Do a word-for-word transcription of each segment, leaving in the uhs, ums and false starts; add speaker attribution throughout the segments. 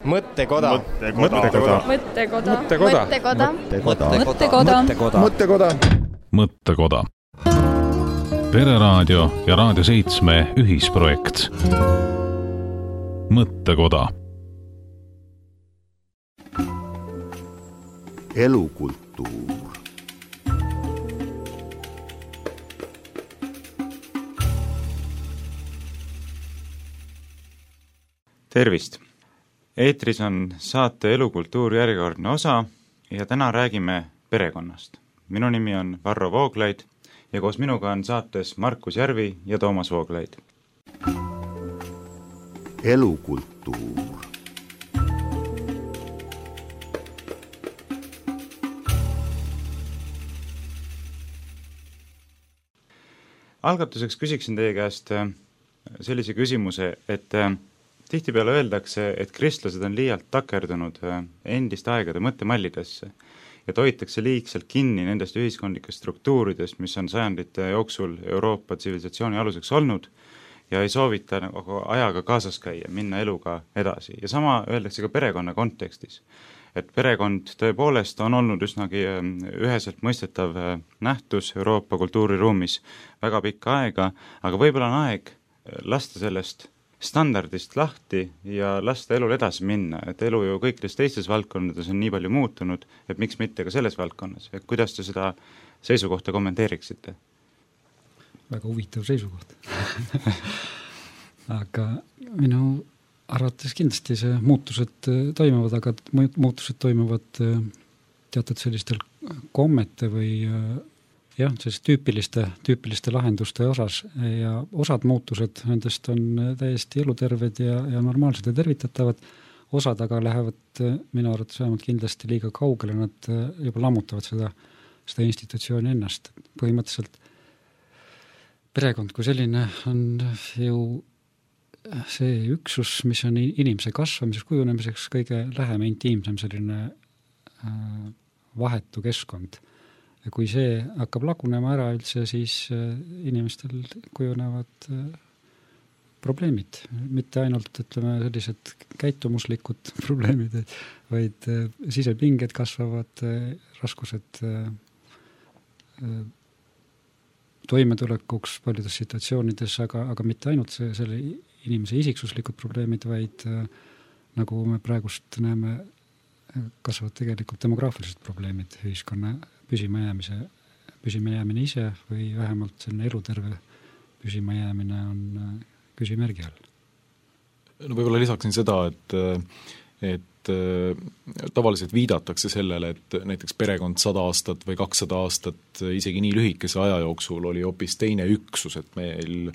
Speaker 1: Mõttekoda.
Speaker 2: Mõttekoda.
Speaker 3: Mõttekoda.
Speaker 1: Mõttekoda.
Speaker 3: Mõttekoda.
Speaker 1: Mõttekoda. Mõttekoda.
Speaker 2: Mõttekoda. Pereraadio ja Raadio seitsme ühisprojekt. Mõttekoda.
Speaker 4: Elukultuur.
Speaker 5: Tervist! Eetris on saate Elukultuur järjekordne osa ja täna räägime perekonnast. Minu nimi on Varro Vooglaid ja koos minuga on saates Markus Järvi ja Toomas Vooglaid.
Speaker 4: Elukultuur.
Speaker 5: Algatuseks küsiksin teie käest sellise küsimuse, et tihtipeale öeldakse, et kristlased on liialt takerdunud endiste aegade mõttemallidesse ja toitakse liigselt kinni nendest ühiskondlikest struktuuridest, mis on sajandite jooksul Euroopa tsivilisatsiooni aluseks olnud ja ei soovita nagu ajaga kaasas käia, minna eluga edasi. Ja sama öeldakse ka perekonna kontekstis, et perekond tõepoolest on olnud üsnagi üheselt mõistetav nähtus Euroopa kultuuriruumis väga pikka aega, aga võib-olla on aeg lasta sellest standardist lahti ja lasta elul edasi minna, et elu ju kõikides teistes valdkondades on nii palju muutunud, et miks mitte ka selles valdkonnas. Et kuidas te seda seisukohta kommenteeriksite?
Speaker 6: Väga huvitav seisukoht. Aga minu arvates kindlasti see muutused toimuvad, aga muutused toimuvad teatud sellistel kommete või jah, sellist tüüpiliste, tüüpiliste lahenduste osas ja osad muutused nendest on täiesti eluterved ja, ja normaalsed ja tervitatavad, osad aga lähevad minu arvates vähemalt kindlasti liiga kaugele, nad juba lammutavad seda, seda institutsiooni ennast. Põhimõtteliselt perekond kui selline on ju see üksus, mis on inimese kasvamiseks, kujunemiseks kõige lähem intiimsem selline vahetu keskkond. Ja kui see hakkab lagunema ära üldse, siis inimestel kujunevad probleemid. Mitte ainult, ütleme, sellised käitumuslikud probleemid, vaid sisepinged kasvavad, raskused toimetulekuks paljudes situatsioonides, aga, aga mitte ainult see, selle inimese isiksuslikud probleemid, vaid nagu me praegust näeme, kasvavad tegelikult demograafilised probleemid ühiskonna püsima jäämise, püsima jäämine ise või vähemalt selline eluterve püsima jäämine on küsimärgi all.
Speaker 7: No võib-olla lisaksin seda, et, et tavaliselt viidatakse sellele, et näiteks perekond sada aastat või kakssada aastat isegi nii lühikese aja jooksul oli hoopis teine üksus, et meil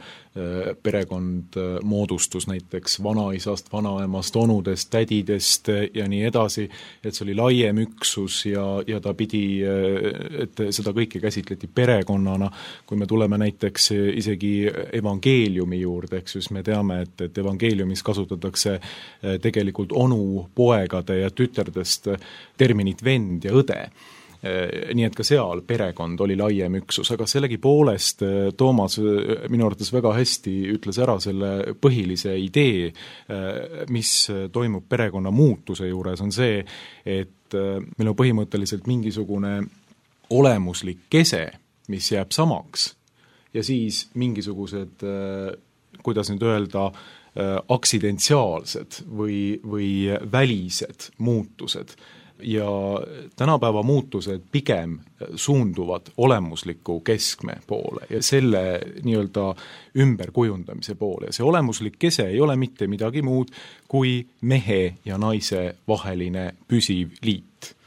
Speaker 7: perekond moodustus näiteks vanaisast, vanaemast, onudest, tädidest ja nii edasi, et see oli laiem üksus ja, ja ta pidi, et seda kõike käsitleti perekonnana. Kui me tuleme näiteks isegi evangeeliumi juurde, eks siis me teame, et, et evangeeliumis kasutatakse tegelikult onu, poegade ja tüterdest terminit vend ja õde. Nii et ka seal perekond oli laiem üksus, aga sellegi poolest Toomas minu arvates väga hästi ütles ära selle põhilise idee, mis toimub perekonna muutuse juures, on see, et meil on põhimõtteliselt mingisugune olemuslik kese, mis jääb samaks ja siis mingisugused, kuidas nüüd öelda, aksidentsiaalsed või, või välised muutused. Ja tänapäeva muutused pigem suunduvad olemusliku keskme poole ja selle nii-öelda ümberkujundamise poole. See olemuslik kese ei ole mitte midagi muud kui mehe ja naise vaheline püsiv liit.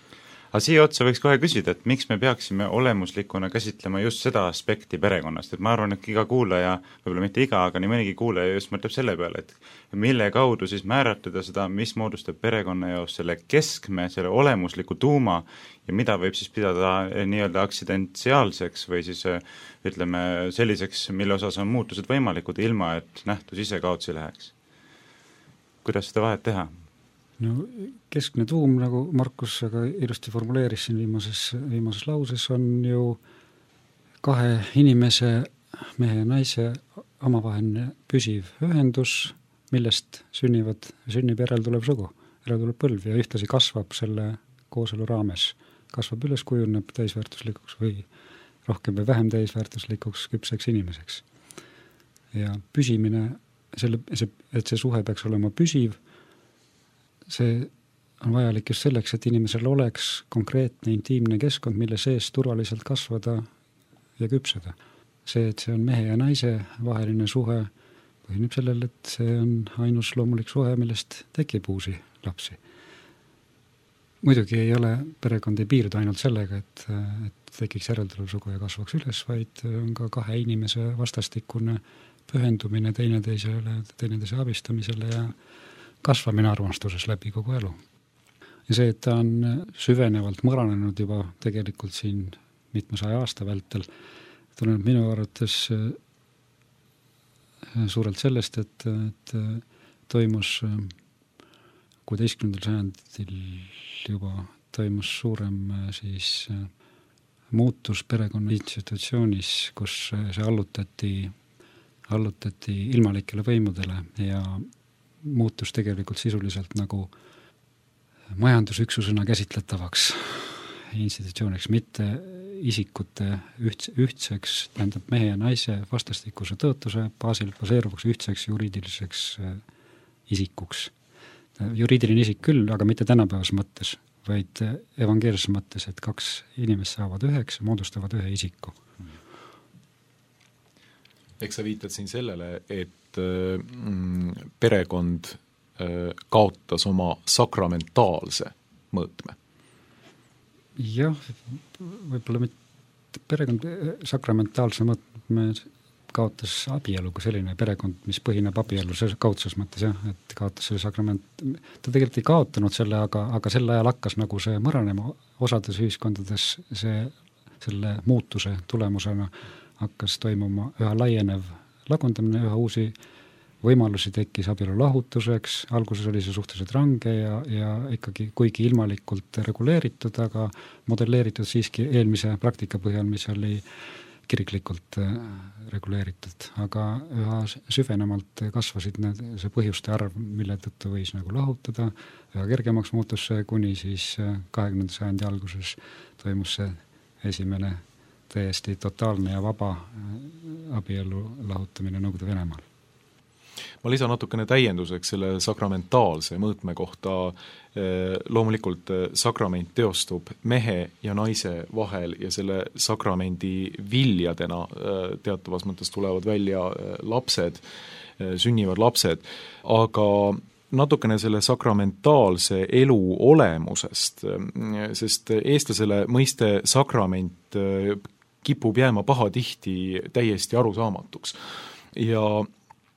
Speaker 5: Aga siia otsa võiks kohe küsida, et miks me peaksime olemuslikuna käsitlema just seda aspekti perekonnast, et ma arvan, et iga kuulaja, võib-olla mitte iga, aga nii mõnigi kuulaja just mõtleb selle peale, et mille kaudu siis määratleda seda, mis moodustab perekonna jaoks selle keskme, selle olemusliku tuuma ja mida võib siis pidada nii-öelda aksidentsiaalseks või siis ütleme selliseks, mille osas on muutused võimalikud ilma, et nähtus ise kaotsi läheks. Kuidas seda vahet teha?
Speaker 6: No, keskne tuum, nagu Markus aga ilusti formuleeris siin viimases, viimases lauses, on ju kahe inimese, mehe ja naise omavaheline püsiv ühendus, millest sünnivad, sünnib järeltulev sugu. ära tuleb põlv ja ühtlasi kasvab selle kooselu raames, kasvab üles, kujuneb täisväärtuslikuks või rohkem või vähem täisväärtuslikuks küpseks inimeseks. Ja püsimine, selle, see, et see suhe peaks olema püsiv, see on vajalik just selleks, et inimesel oleks konkreetne intiimne keskkond, mille sees turvaliselt kasvada ja küpseda. See, et see on mehe ja naise vaheline suhe, põhineb sellel, et see on ainus loomulik suhe, millest tekib uusi lapsi. Muidugi ei ole, perekond ei piirdu ainult sellega, et, et tekiks järeltulev ja kasvaks üles, vaid on ka kahe inimese vastastikune pühendumine teineteisele, teineteise abistamisele ja kasvamine armastuses läbi kogu elu. Ja see, et ta on süvenevalt mõranenud juba tegelikult siin mitmesaja aasta vältel, tuleneb minu arvates suurelt sellest, et, et toimus kuueteistkümnendal sajandil juba toimus suurem siis muutus perekonna institutsioonis, kus see allutati, allutati ilmalikele võimudele ja muutus tegelikult sisuliselt nagu majandusüksusena käsitletavaks institutsiooniks, mitte isikute üht, ühtseks, tähendab mehe ja naise vastastikuse tõotuse baasil baseeruvaks ühtseks juriidiliseks isikuks. Juriidiline isik küll, aga mitte tänapäevas mõttes, vaid evangeelses mõttes, et kaks inimest saavad üheks ja moodustavad ühe isiku.
Speaker 7: Eks sa viitad siin sellele, et mm, perekond kaotas oma sakramentaalse mõõtme.
Speaker 6: Jah, võib-olla mitte perekond sakramentaalse mõõtme kaotas abielu kui selline perekond, mis põhineb abielu kaudses mõttes, jah, et kaotas selle sakrament, ta tegelikult ei kaotanud selle, aga, aga sel ajal hakkas nagu see mõranema osades ühiskondades, see, selle muutuse tulemusena hakkas toimuma üha laienev lagundamine, üha uusi võimalusi tekkis abielu lahutuseks, alguses oli see suhteliselt range ja, ja ikkagi kuigi ilmalikult reguleeritud, aga modelleeritud siiski eelmise praktika põhjal, mis oli kiriklikult reguleeritud, aga üha süvenemalt kasvasid need, see põhjuste arv, mille tõttu võis nagu lahutada, üha kergemaks muutus see, kuni siis kahekümnenda sajandi alguses toimus see esimene täiesti totaalne ja vaba abielu lahutamine Nõukogude Venemaal.
Speaker 7: Ma lisan natukene täienduseks selle sakramentaalse mõõtme kohta. Loomulikult sakrament teostub mehe ja naise vahel ja selle sakramendi viljadena teatavas mõttes tulevad välja lapsed, sünnivad lapsed, aga natukene selle sakramentaalse elu olemusest, sest eestlasele mõiste sakrament kipub jääma pahatihti täiesti arusaamatuks. Ja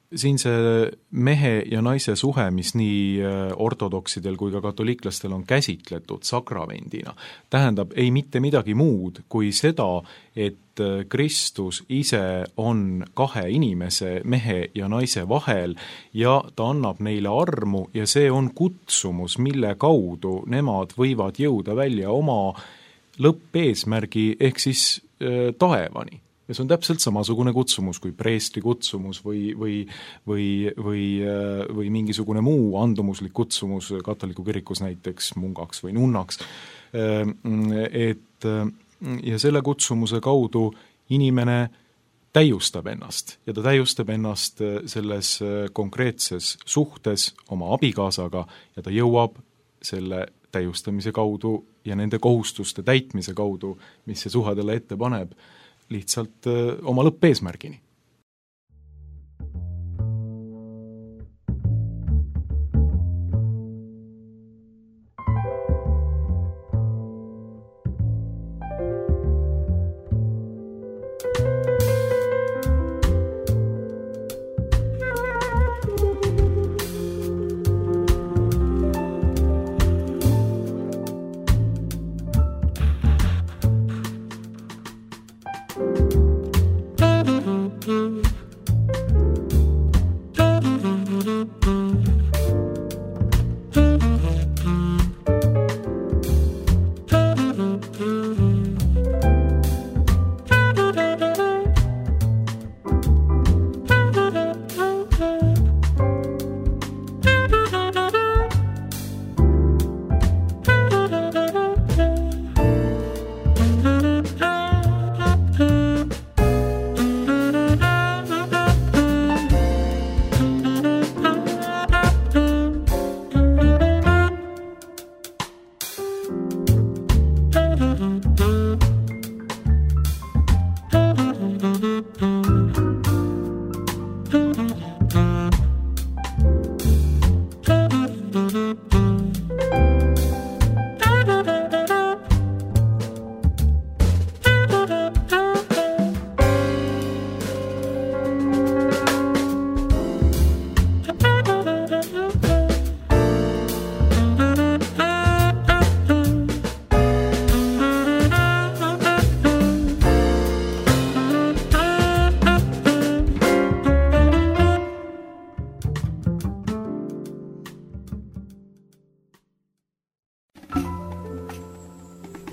Speaker 7: siin see mehe ja naise suhe, mis nii ortodoksidel kui ka katoliiklastel on käsitletud sakramendina, tähendab ei mitte midagi muud kui seda, et Kristus ise on kahe inimese, mehe ja naise vahel ja ta annab neile armu ja see on kutsumus, mille kaudu nemad võivad jõuda välja oma lõppeesmärgi ehk siis äh, taevani. Ja see on täpselt samasugune kutsumus kui preestri kutsumus või, või, või, või, või mingisugune muu andumuslik kutsumus katoliku kirikus näiteks mungaks või nunnaks. Et, ja selle kutsumuse kaudu inimene täiustab ennast ja ta täiustab ennast selles konkreetses suhtes oma abikaasaga ja ta jõuab selle täiustamise kaudu ja nende kohustuste täitmise kaudu, mis see suhe talle ette paneb, lihtsalt öö, oma lõppeesmärgini.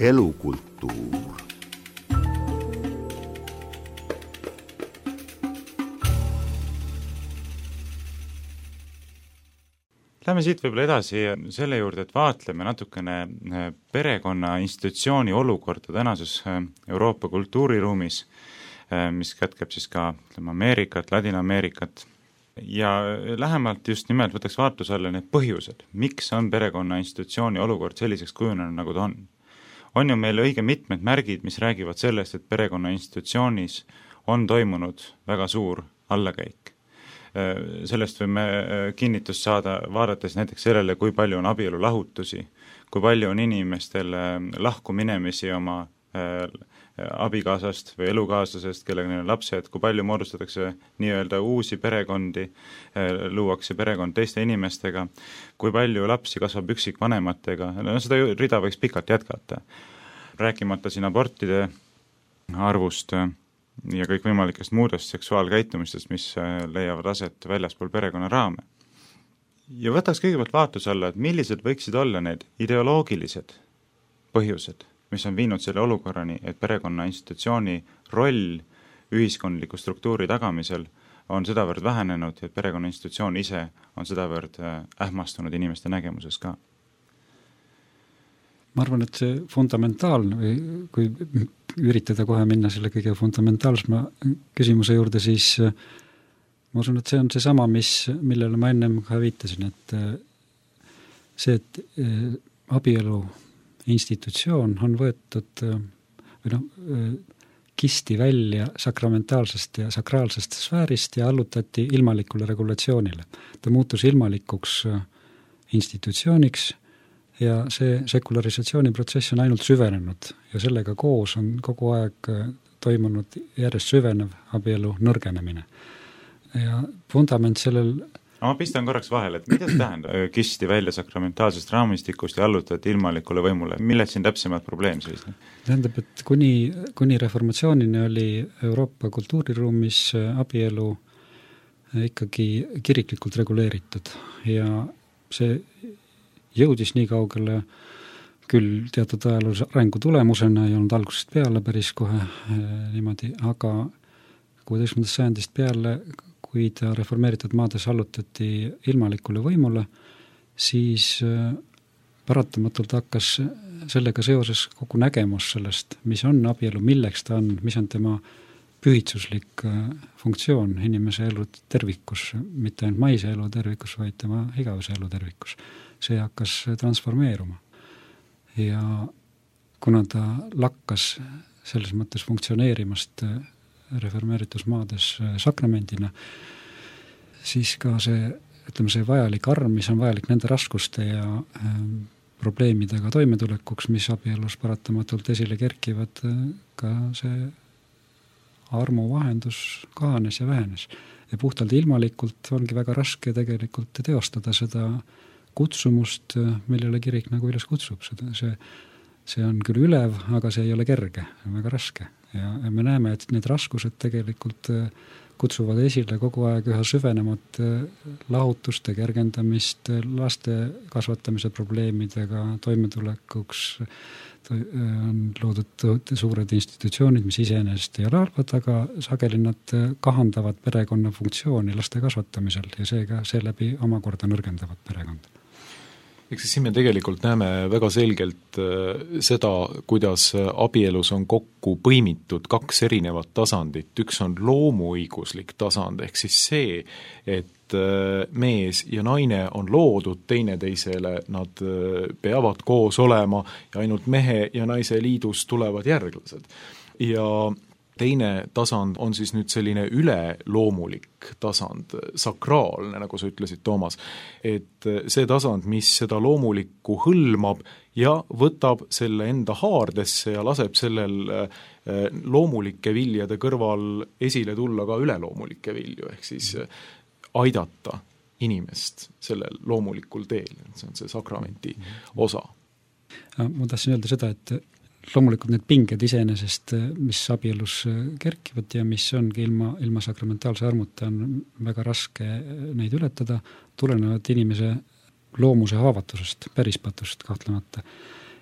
Speaker 4: Elukulttuur.
Speaker 5: Lähme siit võib-olla edasi selle juurde, et vaatleme natukene perekonna institutsiooni olukorda tänases Euroopa kultuuriruumis, mis kätkeb siis ka ütleme, Ameerikat, Ladina-Ameerikat. Ja lähemalt just nimelt võtaks vaatluse alla need põhjused, miks on perekonna institutsiooni olukord selliseks kujunenud, nagu ta on. On ju meil õige mitmed märgid, mis räägivad sellest, et perekonna institutsioonis on toimunud väga suur allakäik. Sellest võime kinnitust saada, vaadates näiteks sellele, kui palju on abielu lahutusi, kui palju on inimestel lahku minemisi oma abikaasast või elukaaslasest, kellega neil on lapsed, kui palju moodustatakse nii-öelda uusi perekondi, luuakse perekond teiste inimestega, kui palju lapsi kasvab üksikvanematega, no seda rida võiks pikalt jätkata. Rääkimata siin abortide arvust ja kõik võimalikest muudest seksuaalkäitumistest, mis leiavad aset väljaspool perekonna raame. Ja võtaks kõigepealt vaatluse alla, et millised võiksid olla need ideoloogilised põhjused, mis on viinud selle olukorrani, et perekonna institutsiooni roll ühiskondliku struktuuri tagamisel on sedavõrd vähenenud ja perekonna institutsioon ise on sedavõrd ähmastunud inimeste nägemuses ka.
Speaker 6: Ma arvan, et see fundamentaalne või kui üritada kohe minna selle kõige fundamentaalsema küsimuse juurde, siis ma usun, et see on see sama, mis, millele ma ennem ka viitasin, et see, et abielu institutsioon on võetud või noh, kisti välja sakramentaalsest ja sakraalsest sfäärist ja allutati ilmalikule regulatsioonile. Ta muutus ilmalikuks institutsiooniks ja see sekularisatsiooniprotsess on ainult süvenenud ja sellega koos on kogu aeg toimunud järjest süvenev abielu nõrgenemine. Ja fundament sellel...
Speaker 5: Ma pistan korraks vahele, et mida see tähendab? Kisti välja sakramentaalsest raamistikust ja allutati ilmalikule võimule. Milled siin täpsemad probleem siis?
Speaker 6: Tähendab, et kuni, kuni reformatsioonini oli Euroopa kultuuriruumis abielu ikkagi kiriklikult reguleeritud ja see jõudis nii kaugele küll teatud ajaloos arengu tulemusena, ei olnud algusest peale päris kohe niimoodi, aga kuueteistkümnendast sajandist peale, kui ta reformeeritud maades allutati ilmalikule võimule, siis paratamatult hakkas sellega seoses kogu nägemus sellest, mis on abielu, milleks ta on, mis on tema pühitsuslik funktsioon inimese elu tervikus, mitte ainult maise elu tervikus, vaid tema igavese elu tervikus. See hakkas transformeeruma. Ja kuna ta lakkas selles mõttes funktsioneerimast reformeeritus maades sakramendina, siis ka see, ütleme, see vajalik arm, mis on vajalik nende raskuste ja probleemidega toimetulekuks, mis abielus paratamatult esile kerkivad, ka see armu vahendus kahanes ja vähenes. Ja puhtalt ilmalikult ongi väga raske tegelikult teostada seda kutsumust, millele kirik nagu üles kutsub. Seda, see, see on küll ülev, aga see ei ole kerge, see on väga raske. Ja, ja me näeme, et need raskused tegelikult kutsuvad esile kogu aeg üha süvenemat lahutuste kergendamist, laste kasvatamise probleemidega toimetulekuks on loodud suured institutsioonid, mis iseenesest ei ole halvad, aga sageli nad kahandavad perekonna funktsiooni laste kasvatamisel ja seega seeläbi omakorda nõrgendavad perekonda.
Speaker 7: Eks siin me tegelikult näeme väga selgelt seda, kuidas abielus on kokku põimitud kaks erinevat tasandit. Üks on loomuõiguslik tasand, ehk siis see, et mees ja naine on loodud teineteisele, nad peavad koos olema ja ainult mehe ja naise liidus tulevad järglased. Ja teine tasand on siis nüüd selline üleloomulik tasand, sakraalne, nagu sa ütlesid, Toomas, et see tasand, mis seda loomulikku hõlmab ja võtab selle enda haardesse ja laseb sellel loomulike viljade kõrval esile tulla ka üleloomulikke vilju, ehk siis aidata inimest sellel loomulikul teel, see on see sakramenti osa.
Speaker 6: Ma tahtsin öelda seda, et loomulikult need pinged iseenesest, mis abielus kerkivad ja mis ongi ilma, ilma sakramentaalse armuta, on väga raske neid ületada, tulenevad inimese loomuse haavatusest, pärispatust kahtlemata.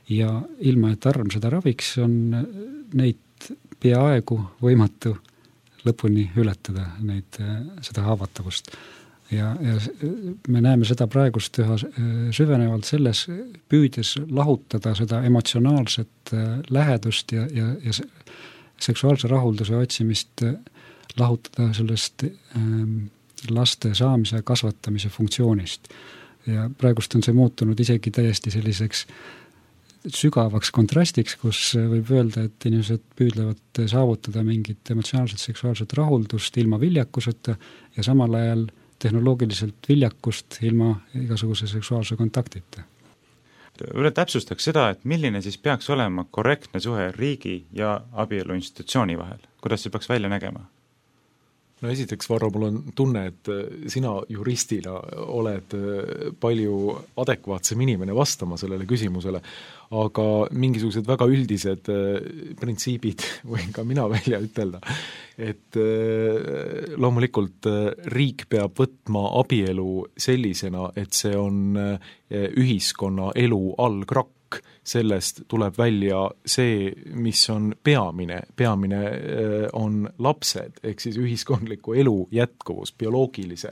Speaker 6: ja ilma, et arm seda raviks, on neid peaaegu võimatu lõpuni ületada, neid, seda haavatavust. Ja, ja me näeme seda praegust üha süvenevalt selles, püüdes lahutada seda emotsionaalset lähedust ja, ja, ja seksuaalse rahulduse otsimist lahutada sellest ähm, laste saamise ja kasvatamise funktsioonist. Ja praegust on see muutunud isegi täiesti selliseks sügavaks kontrastiks, kus võib öelda, et inimesed püüdlevad saavutada mingit emotsionaalset seksuaalset rahuldust ilma viljakuseta ja samal ajal tehnoloogiliselt viljakust ilma igasuguse seksuaalse kontaktita.
Speaker 5: Üle täpsustaks seda, et milline siis peaks olema korrektne suhe riigi ja abielu institutsiooni vahel. Kuidas see peaks välja nägema?
Speaker 7: No esiteks, Varro, mul on tunne, et sina juristina oled palju adekvaatsem inimene vastama sellele küsimusele, aga mingisugused väga üldised printsiibid võin ka mina välja ütelda, et loomulikult riik peab võtma abielu sellisena, et see on ühiskonna elu algrakk. Sellest tuleb välja see, mis on peamine. Peamine on lapsed, ehk siis ühiskondliku elu jätkuvus, bioloogilise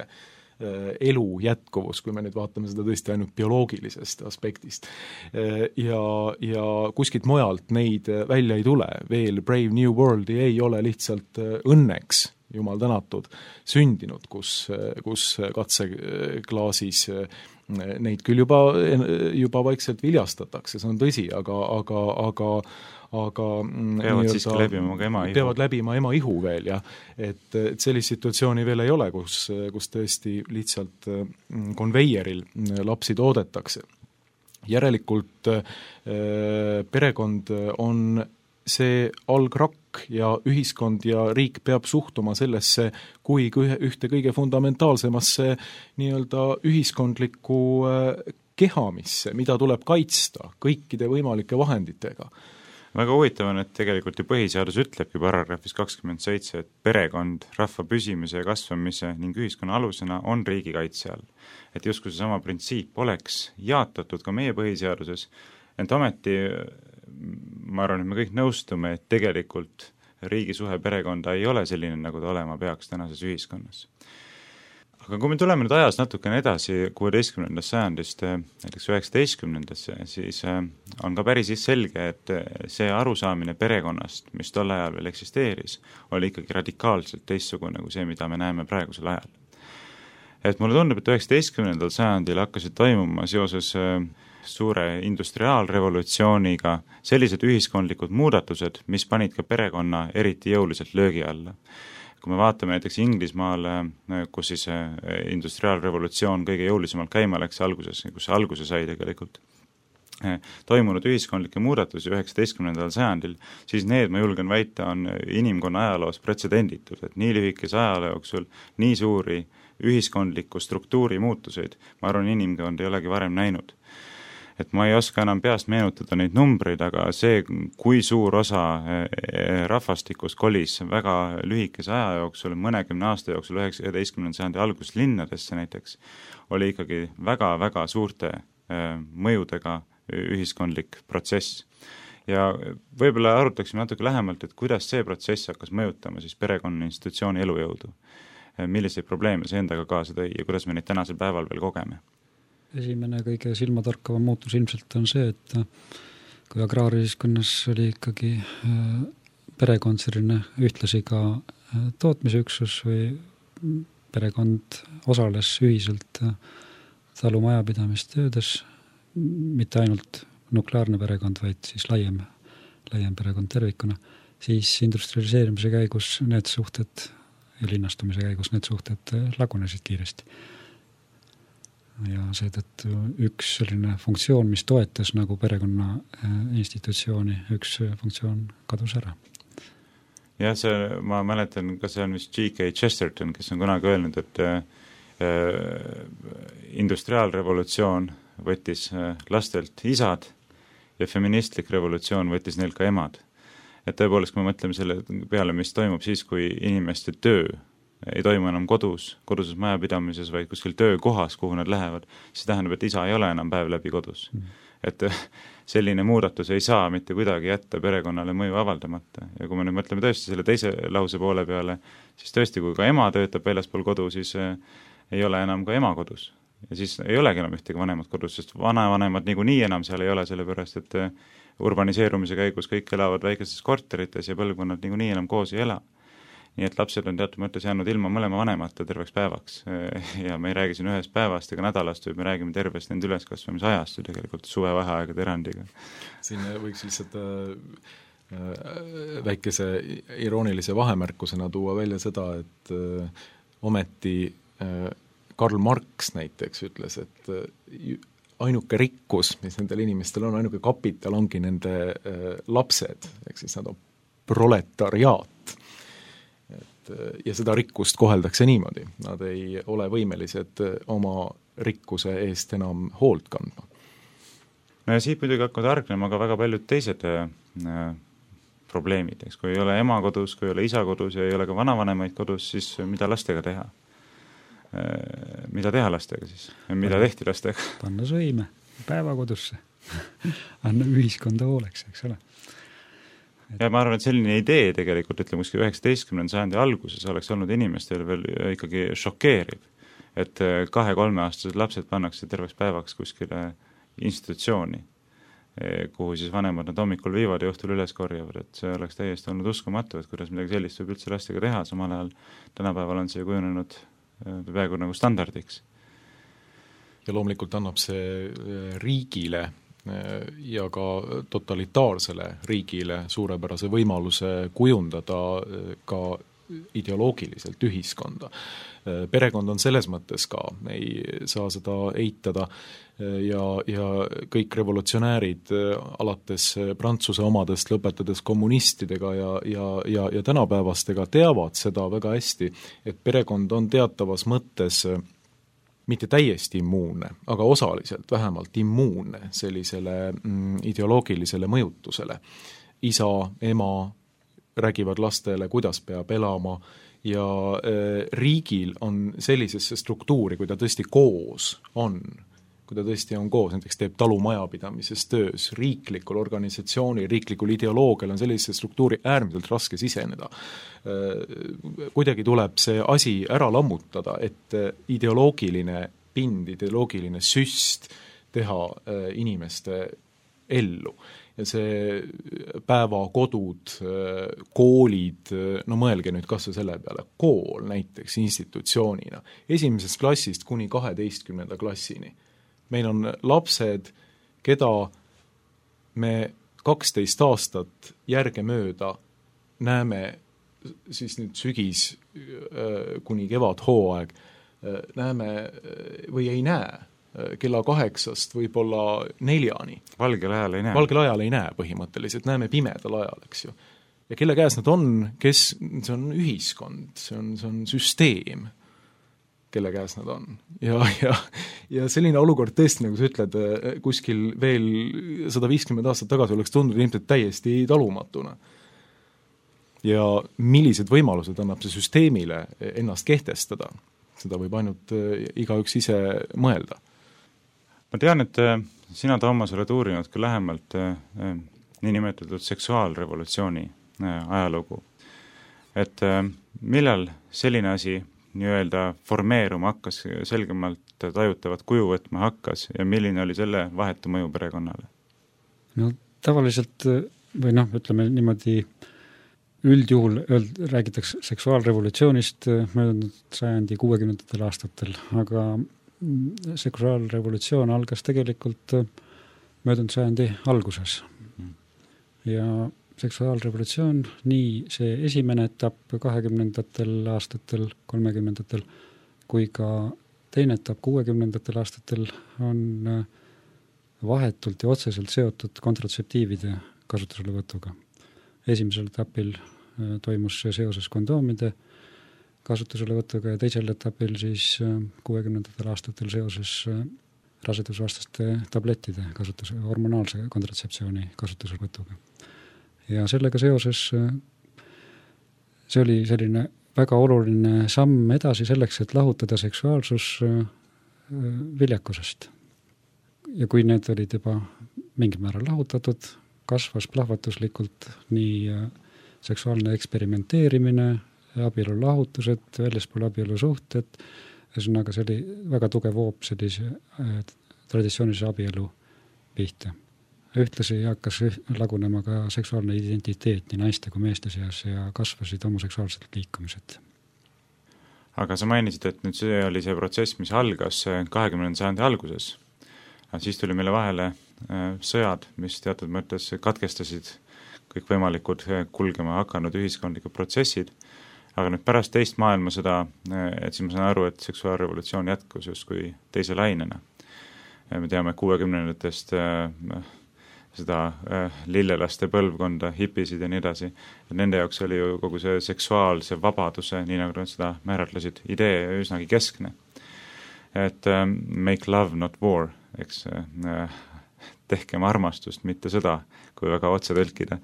Speaker 7: elu jätkuvus, kui me nüüd vaatame seda tõesti ainult bioloogilisest aspektist. Ja, ja kuskilt mujalt neid välja ei tule. Veel Brave New Worldi ei ole lihtsalt õnneks, jumal tänatud, sündinud, kus, kus katseklaasis neid küll juba, juba vaikselt viljastatakse, see on tõsi, aga, aga, aga, aga
Speaker 5: peavad siiski läbima ema ihu.
Speaker 7: Peavad läbima ema ihu veel, jah. Et, et sellist situatsiooni veel ei ole, kus, kus tõesti lihtsalt konveieril lapsi toodetakse. Järelikult perekond on see algrakk ja ühiskond ja riik peab suhtuma sellesse kui ühte kõige fundamentaalsemasse nii-öelda ühiskondlikku kehamisse, mida tuleb kaitsta kõikide võimalike vahenditega.
Speaker 5: Väga huvitav on, et tegelikult ju põhiseadus ütlebki paragrahvis kakskümmend seitse, et perekond rahva püsimise ja kasvamise ning ühiskonna alusena on riigi kaitse all. Et justkui see sama printsiip oleks jaatatud ka meie põhiseaduses, ent ometi ma arvan, et me kõik nõustume, et tegelikult riigi suhe perekonda ei ole selline, nagu ta olema peaks tänases ühiskonnas. Aga kui me tuleme nüüd ajas natukene edasi kuueteistkümnendast sajandist, näiteks üheksateistkümnendasse, siis on ka päris selge, et see arusaamine perekonnast, mis tol ajal veel eksisteeris, oli ikkagi radikaalselt teistsugune kui see, mida me näeme praegusel ajal. Et mulle tundub, et üheksateistkümnendal sajandil hakkasid toimuma seoses suure industriaalrevolutsiooniga sellised ühiskondlikud muudatused, mis panid ka perekonna eriti jõuliselt löögi alla. Kui me vaatame näiteks Inglismaale, kus siis industriaalrevolutsioon kõige jõulisemalt käima läks alguses, kus alguse sai tegelikult toimunud ühiskondlikke muudatusi üheksateistkümnendal sajandil, siis need, ma julgen väita, on inimkonna ajaloos pretsedenditud, et nii lühikese ajaloo jooksul nii suuri ühiskondliku struktuuri muutuseid, ma arvan, inimkond ei olegi varem näinud. Et ma ei oska enam peast meenutada neid numbreid, aga see, kui suur osa rahvastikust kolis väga lühikese aja jooksul, mõnekümne aasta jooksul, üheksateistkümnenda sajandi alguses linnadesse näiteks, oli ikkagi väga-väga suurte mõjudega ühiskondlik protsess. Ja võib-olla arutaksime natuke lähemalt, et kuidas see protsess hakkas mõjutama siis perekonna institutsiooni elujõudu. Milliseid probleeme see endaga kaasa tõi ja kuidas me neid tänasel päeval veel kogeme?
Speaker 6: Esimene kõige silmatorkava muutus ilmselt on see, et kui agraarühiskonnas oli ikkagi perekond selline ühtlasi ka tootmisüksus või perekond osales ühiselt talumajapidamistöödes, mitte ainult nukleaarne perekond, vaid siis laiem, laiem perekond tervikuna, siis industrialiseerimise käigus need suhted ja linnastumise käigus need suhted lagunesid kiiresti. Ja seetõttu üks selline funktsioon, mis toetas nagu perekonna institutsiooni, üks funktsioon kadus ära.
Speaker 5: jah, see, ma mäletan, ka see on vist G K Chesterton, kes on kunagi öelnud, et äh, industriaalrevolutsioon võttis lastelt isad ja feministlik revolutsioon võttis neilt ka emad. Et tõepoolest, kui me mõtleme selle peale, mis toimub siis, kui inimeste töö ei toimu enam kodus, koduses majapidamises, vaid kuskil töökohas, kuhu nad lähevad, siis tähendab, et isa ei ole enam päev läbi kodus. Mm. et selline muudatus ei saa mitte kuidagi jätta perekonnale mõju avaldamata. Ja kui me nüüd mõtleme tõesti selle teise lause poole peale, siis tõesti, kui ka ema töötab väljaspool kodu, siis ei ole enam ka ema kodus. Ja siis ei olegi enam ühtegi vanemat kodus, sest vanavanemad niikuinii enam seal ei ole, sellepärast et urbaniseerumise käigus kõik elavad väikestes korterites ja põlvkonnad niikuinii enam koos ei ela. Nii et lapsed on teatud mõttes jäänud ilma mõlema vanemata terveks päevaks. Ja me ei räägi siin ühest päevast ega nädalast, või me räägime tervest nende üleskasvamise ajast tegelikult suvevaheaegade erandiga.
Speaker 7: Siin võiks lihtsalt väikese iroonilise vahemärkusena tuua välja seda, et ometi Karl Marx näiteks ütles, et ainuke rikkus, mis nendel inimestel on, ainuke kapital ongi nende lapsed, ehk siis nad on proletariaat. Et, ja seda rikkust koheldakse niimoodi. Nad ei ole võimelised oma rikkuse eest enam hoolt kandma.
Speaker 5: No ja siit muidugi hakkavad argnema ka väga paljud teised äh, probleemid. Eks, kui ei ole ema kodus, kui ei ole isa kodus ja ei ole ka vanavanemaid kodus, siis mida lastega teha? Äh, mida teha lastega siis? Mida tehti lastega?
Speaker 6: Panna sõime päevakodusse. Anna ühiskonda hooleks, eks ole.
Speaker 5: Ja ma arvan, et selline idee tegelikult, ütleme, kuskil üheksateistkümnenda sajandi alguses oleks olnud inimestel veel ikkagi šokeeriv, et kahe-kolmeaastased lapsed pannakse terveks päevaks kuskile institutsiooni, kuhu siis vanemad nad hommikul viivad ja õhtul üles korjavad, et see oleks täiesti olnud uskumatu, et kuidas midagi sellist võib üldse lastega teha, samal ajal tänapäeval on see kujunenud peaaegu nagu standardiks.
Speaker 7: Ja loomulikult annab see riigile ja ka totalitaarsele riigile suurepärase võimaluse kujundada ka ideoloogiliselt ühiskonda. Perekond on selles mõttes ka, ei saa seda eitada ja, ja kõik revolutsionäärid alates Prantsuse omadest lõpetades kommunistidega ja, ja, ja, ja tänapäevastega teavad seda väga hästi, et perekond on teatavas mõttes mitte täiesti immuunne, aga osaliselt vähemalt immuunne sellisele mm, ideoloogilisele mõjutusele. Isa, ema räägivad lastele, kuidas peab elama ja äh, riigil on sellisesse struktuuri, kui ta tõesti koos on, kui ta tõesti on koos, näiteks teeb talumajapidamises töös, riiklikul organisatsioonil, riiklikul ideoloogial on sellise struktuuri äärmiselt raske siseneda. Kuidagi tuleb see asi ära lammutada, et ideoloogiline pind, ideoloogiline süst teha inimeste ellu. Ja see päevakodud, koolid, no mõelge nüüd kas või selle peale, kool näiteks institutsioonina, esimesest klassist kuni kaheteistkümnenda klassini. Meil on lapsed, keda me kaksteist aastat järgemööda näeme siis nüüd sügis kuni kevad hooaeg, näeme või ei näe kella kaheksast võib-olla neljani.
Speaker 5: Valgel ajal ei näe.
Speaker 7: Valgel ajal ei näe põhimõtteliselt, näeme pimedal ajal, eks ju. Ja kelle käes nad on, kes, see on ühiskond, see on, see on süsteem, kelle käes nad on. Ja, ja, ja selline olukord tõesti, nagu sa ütled, kuskil veel sada viiskümmend aastat tagasi oleks tundunud ilmselt täiesti talumatuna. Ja millised võimalused annab see süsteemile ennast kehtestada, seda võib ainult igaüks ise mõelda.
Speaker 5: Ma tean, et sina, Toomas, oled uurinud ka lähemalt niinimetatud seksuaalrevolutsiooni ajalugu. Et millal selline asi nii-öelda formeeruma hakkas, selgemalt tajutavat kuju võtma hakkas ja milline oli selle vahetu mõju perekonnale?
Speaker 6: No tavaliselt, või noh, ütleme niimoodi, üldjuhul öeld, räägitakse seksuaalrevolutsioonist möödunud sajandi kuuekümnendatel aastatel, aga seksuaalrevolutsioon algas tegelikult möödunud sajandi alguses. Ja seksuaalrevolutsioon, nii see esimene etapp kahekümnendatel aastatel, kolmekümnendatel, kui ka teine etapp kuuekümnendatel aastatel on vahetult ja otseselt seotud kontratseptiivide kasutuselevõtuga. Esimesel etapil toimus see seoses kondoomide kasutuselevõtuga ja teisel etapil siis kuuekümnendatel aastatel seoses rasedusvastaste tablettide kasutuse, hormonaalse kontratseptsiooni kasutuselevõtuga. Ja sellega seoses see oli selline väga oluline samm edasi selleks, et lahutada seksuaalsus viljakusest. Ja kui need olid juba mingil määral lahutatud, kasvas plahvatuslikult nii seksuaalne eksperimenteerimine, abielu lahutused, väljaspool abielu suhted, ühesõnaga see oli väga tugev hoop sellise äh, traditsioonilise abielu pihta. Ühtlasi hakkas lagunema ka seksuaalne identiteet nii naiste kui meeste seas ja kasvasid homoseksuaalsed liikumised.
Speaker 5: Aga sa mainisid, et nüüd see oli see protsess, mis algas kahekümnenda sajandi alguses. Siis tuli meile vahele sõjad, mis teatud mõttes katkestasid kõikvõimalikud kulgema hakanud ühiskondlikud protsessid. Aga nüüd pärast teist maailmasõda, et siis ma saan aru, et seksuaalrevolutsioon jätkus justkui teise lainena. Me teame kuuekümnendatest seda lillelaste põlvkonda, hipisid ja nii edasi. Ja nende jaoks oli ju kogu see seksuaalse vabaduse, nii nagu nad seda määratlesid, idee üsnagi keskne. Et make love, not war, eks tehkem armastust, mitte sõda, kui väga otse tõlkida.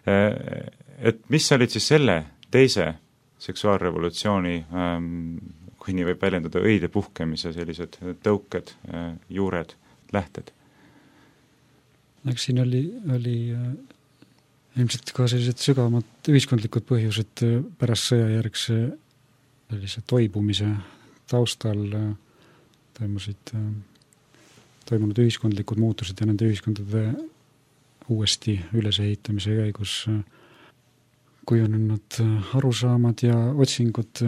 Speaker 5: Et mis olid siis selle teise seksuaalrevolutsiooni, kui nii võib väljendada, õide puhkemise sellised tõuked, juured, lähted?
Speaker 6: Eks siin oli, oli ilmselt ka sellised sügavamad ühiskondlikud põhjused pärast sõjajärgse sellise toibumise taustal toimusid, toimunud ühiskondlikud muutused ja nende ühiskondade uuesti ülesehitamise käigus kujunenud arusaamad ja otsingud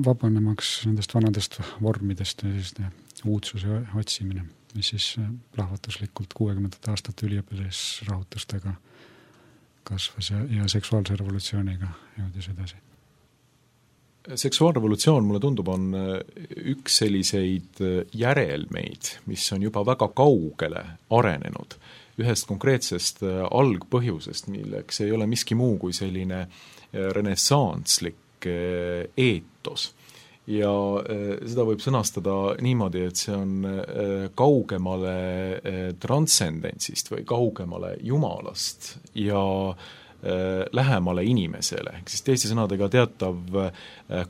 Speaker 6: vabanemaks nendest vanadest vormidest ja uudsuse otsimine, mis siis plahvatuslikult kuuekümnendate aastate üliõpilasrahutustega kasvas ja, ja seksuaalse revolutsiooniga jõudis edasi.
Speaker 7: Seksuaalrevolutsioon, mulle tundub, on üks selliseid järelmeid, mis on juba väga kaugele arenenud ühest konkreetsest algpõhjusest, milleks ei ole miski muu kui selline renessantslik eetos. Ja seda võib sõnastada niimoodi, et see on kaugemale transcendentsist või kaugemale Jumalast ja lähemale inimesele. Ehk siis teiste sõnadega teatav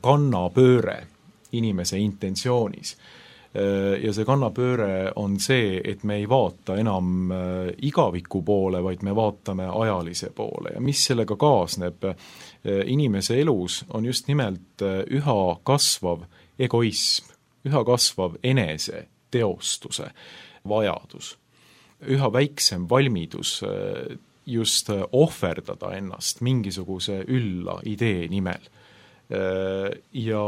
Speaker 7: kannapööre inimese intentsioonis. Ja see kannapööre on see, et me ei vaata enam igaviku poole, vaid me vaatame ajalise poole. Ja mis sellega kaasneb inimese elus, on just nimelt üha kasvav egoism, üha kasvav enese teostuse vajadus, üha väiksem valmidus just ohverdada ennast mingisuguse ülla idee nimel. Ja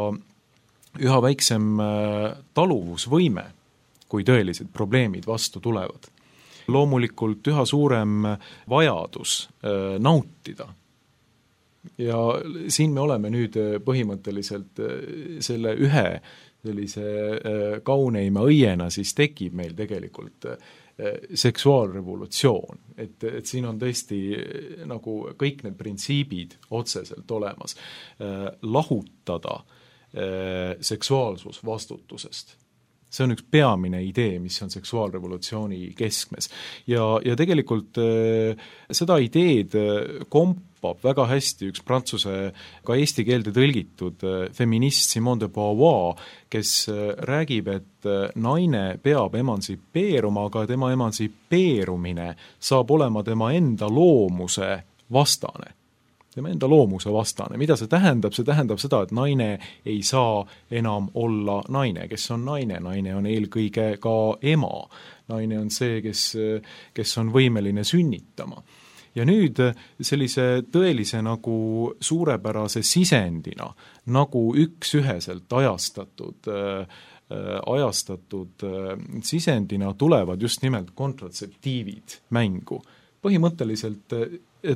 Speaker 7: üha väiksem taluvusvõime, kui tõelised probleemid vastu tulevad. Loomulikult üha suurem vajadus nautida. Ja siin me oleme nüüd põhimõtteliselt selle ühe sellise kauneima õiena, siis tekib meil tegelikult seksuaalrevolutsioon. Et, et siin on tõesti nagu kõik need printsiibid otseselt olemas. Lahutada seksuaalsus vastutusest. See on üks peamine idee, mis on seksuaalrevolutsiooni keskmes. Ja, ja tegelikult seda ideed kompab väga hästi üks prantsuse, ka eesti keelde tõlgitud feminist Simone de Beauvoir, kes räägib, et naine peab emansipeeruma, aga tema emansipeerumine saab olema tema enda loomuse vastane. tema enda loomuse vastane. Mida see tähendab? See tähendab seda, et naine ei saa enam olla naine. Kes on naine? Naine on eelkõige ka ema. Naine on see, kes, kes on võimeline sünnitama. Ja nüüd sellise tõelise nagu suurepärase sisendina, nagu üks üheselt ajastatud, ajastatud sisendina tulevad just nimelt kontratseptiivid mängu. Põhimõtteliselt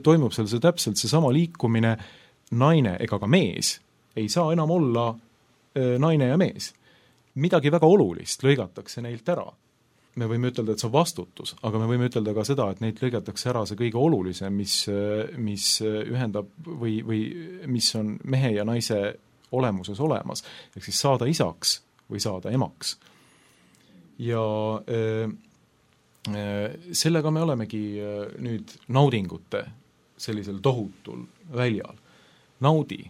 Speaker 7: toimub seal see täpselt see sama liikumine, naine ega ka mees ei saa enam olla naine ja mees. Midagi väga olulist lõigatakse neilt ära. Me võime ütelda, et see on vastutus, aga me võime ütelda ka seda, et neilt lõigatakse ära see kõige olulisem, mis, mis ühendab või, või mis on mehe ja naise olemuses olemas, ehk siis saada isaks või saada emaks. Ja äh, sellega me olemegi nüüd naudingute sellisel tohutul väljal. Naudi,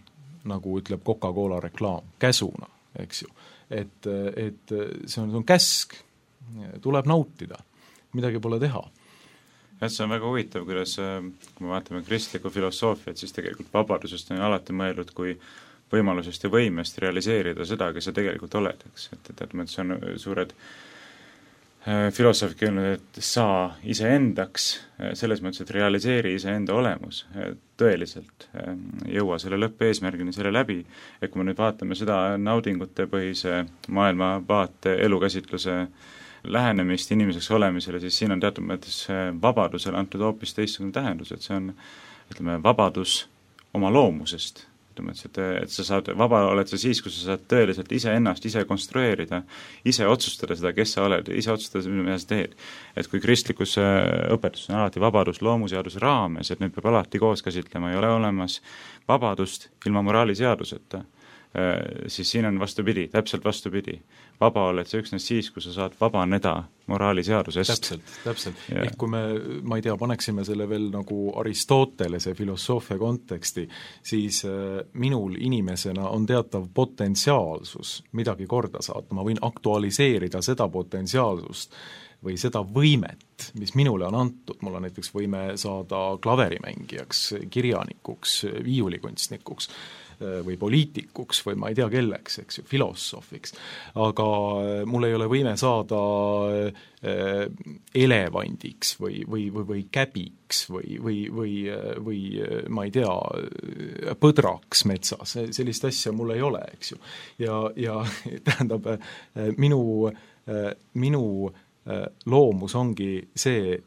Speaker 7: nagu ütleb Coca-Cola reklaam, käsuna, eks ju. Et, et see on, see on käsk, tuleb nautida, midagi pole teha.
Speaker 5: jah, see on väga huvitav, kuidas, kui me vaatame kristlikku filosoofiat, siis tegelikult vabadusest on alati mõeldud kui võimalusest ja võimest realiseerida seda, kes sa tegelikult oled, eks, et, et, et see on suured filosoofid öelnud, et sa iseendaks, selles mõttes, et realiseeri iseenda olemus tõeliselt, jõua selle lõppeesmärgini selle läbi, et kui me nüüd vaatame seda naudingute põhise maailmavaate elukäsitluse lähenemist inimeseks olemisele, siis siin on teatud mõttes vabadusele antud hoopis teistsugune tähendus, et see on, ütleme, vabadus oma loomusest. Et, et sa saad, vaba oled sa siis, kui sa saad tõeliselt ise ennast ise konstrueerida, ise otsustada seda, kes sa oled, ise otsustada, mida sa teed. Et kui kristlikus õpetus on alati vabadus loomuseaduse raames, et need peab alati koos käsitlema, ei ole olemas vabadust ilma moraaliseaduseta, siis siin on vastupidi, täpselt vastupidi. Vaba oled sa üksnes siis, kui sa saad vabaneda moraaliseadusest.
Speaker 7: Täpselt, täpselt. Ja. Ehk kui me, ma ei tea, paneksime selle veel nagu Aristotelese filosoofia konteksti, siis minul inimesena on teatav potentsiaalsus midagi korda saata. Ma võin aktualiseerida seda potentsiaalsust või seda võimet, mis minule on antud. Mul on näiteks võime saada klaverimängijaks, kirjanikuks, viiulikunstnikuks või poliitikuks või ma ei tea kelleks, eks ju, filosoofiks. Aga mul ei ole võime saada elevandiks või, või, või, või käbiks või, või, või, või ma ei tea, põdraks metsas. Sellist asja mul ei ole, eks ju. Ja, ja tähendab, minu, minu loomus ongi see,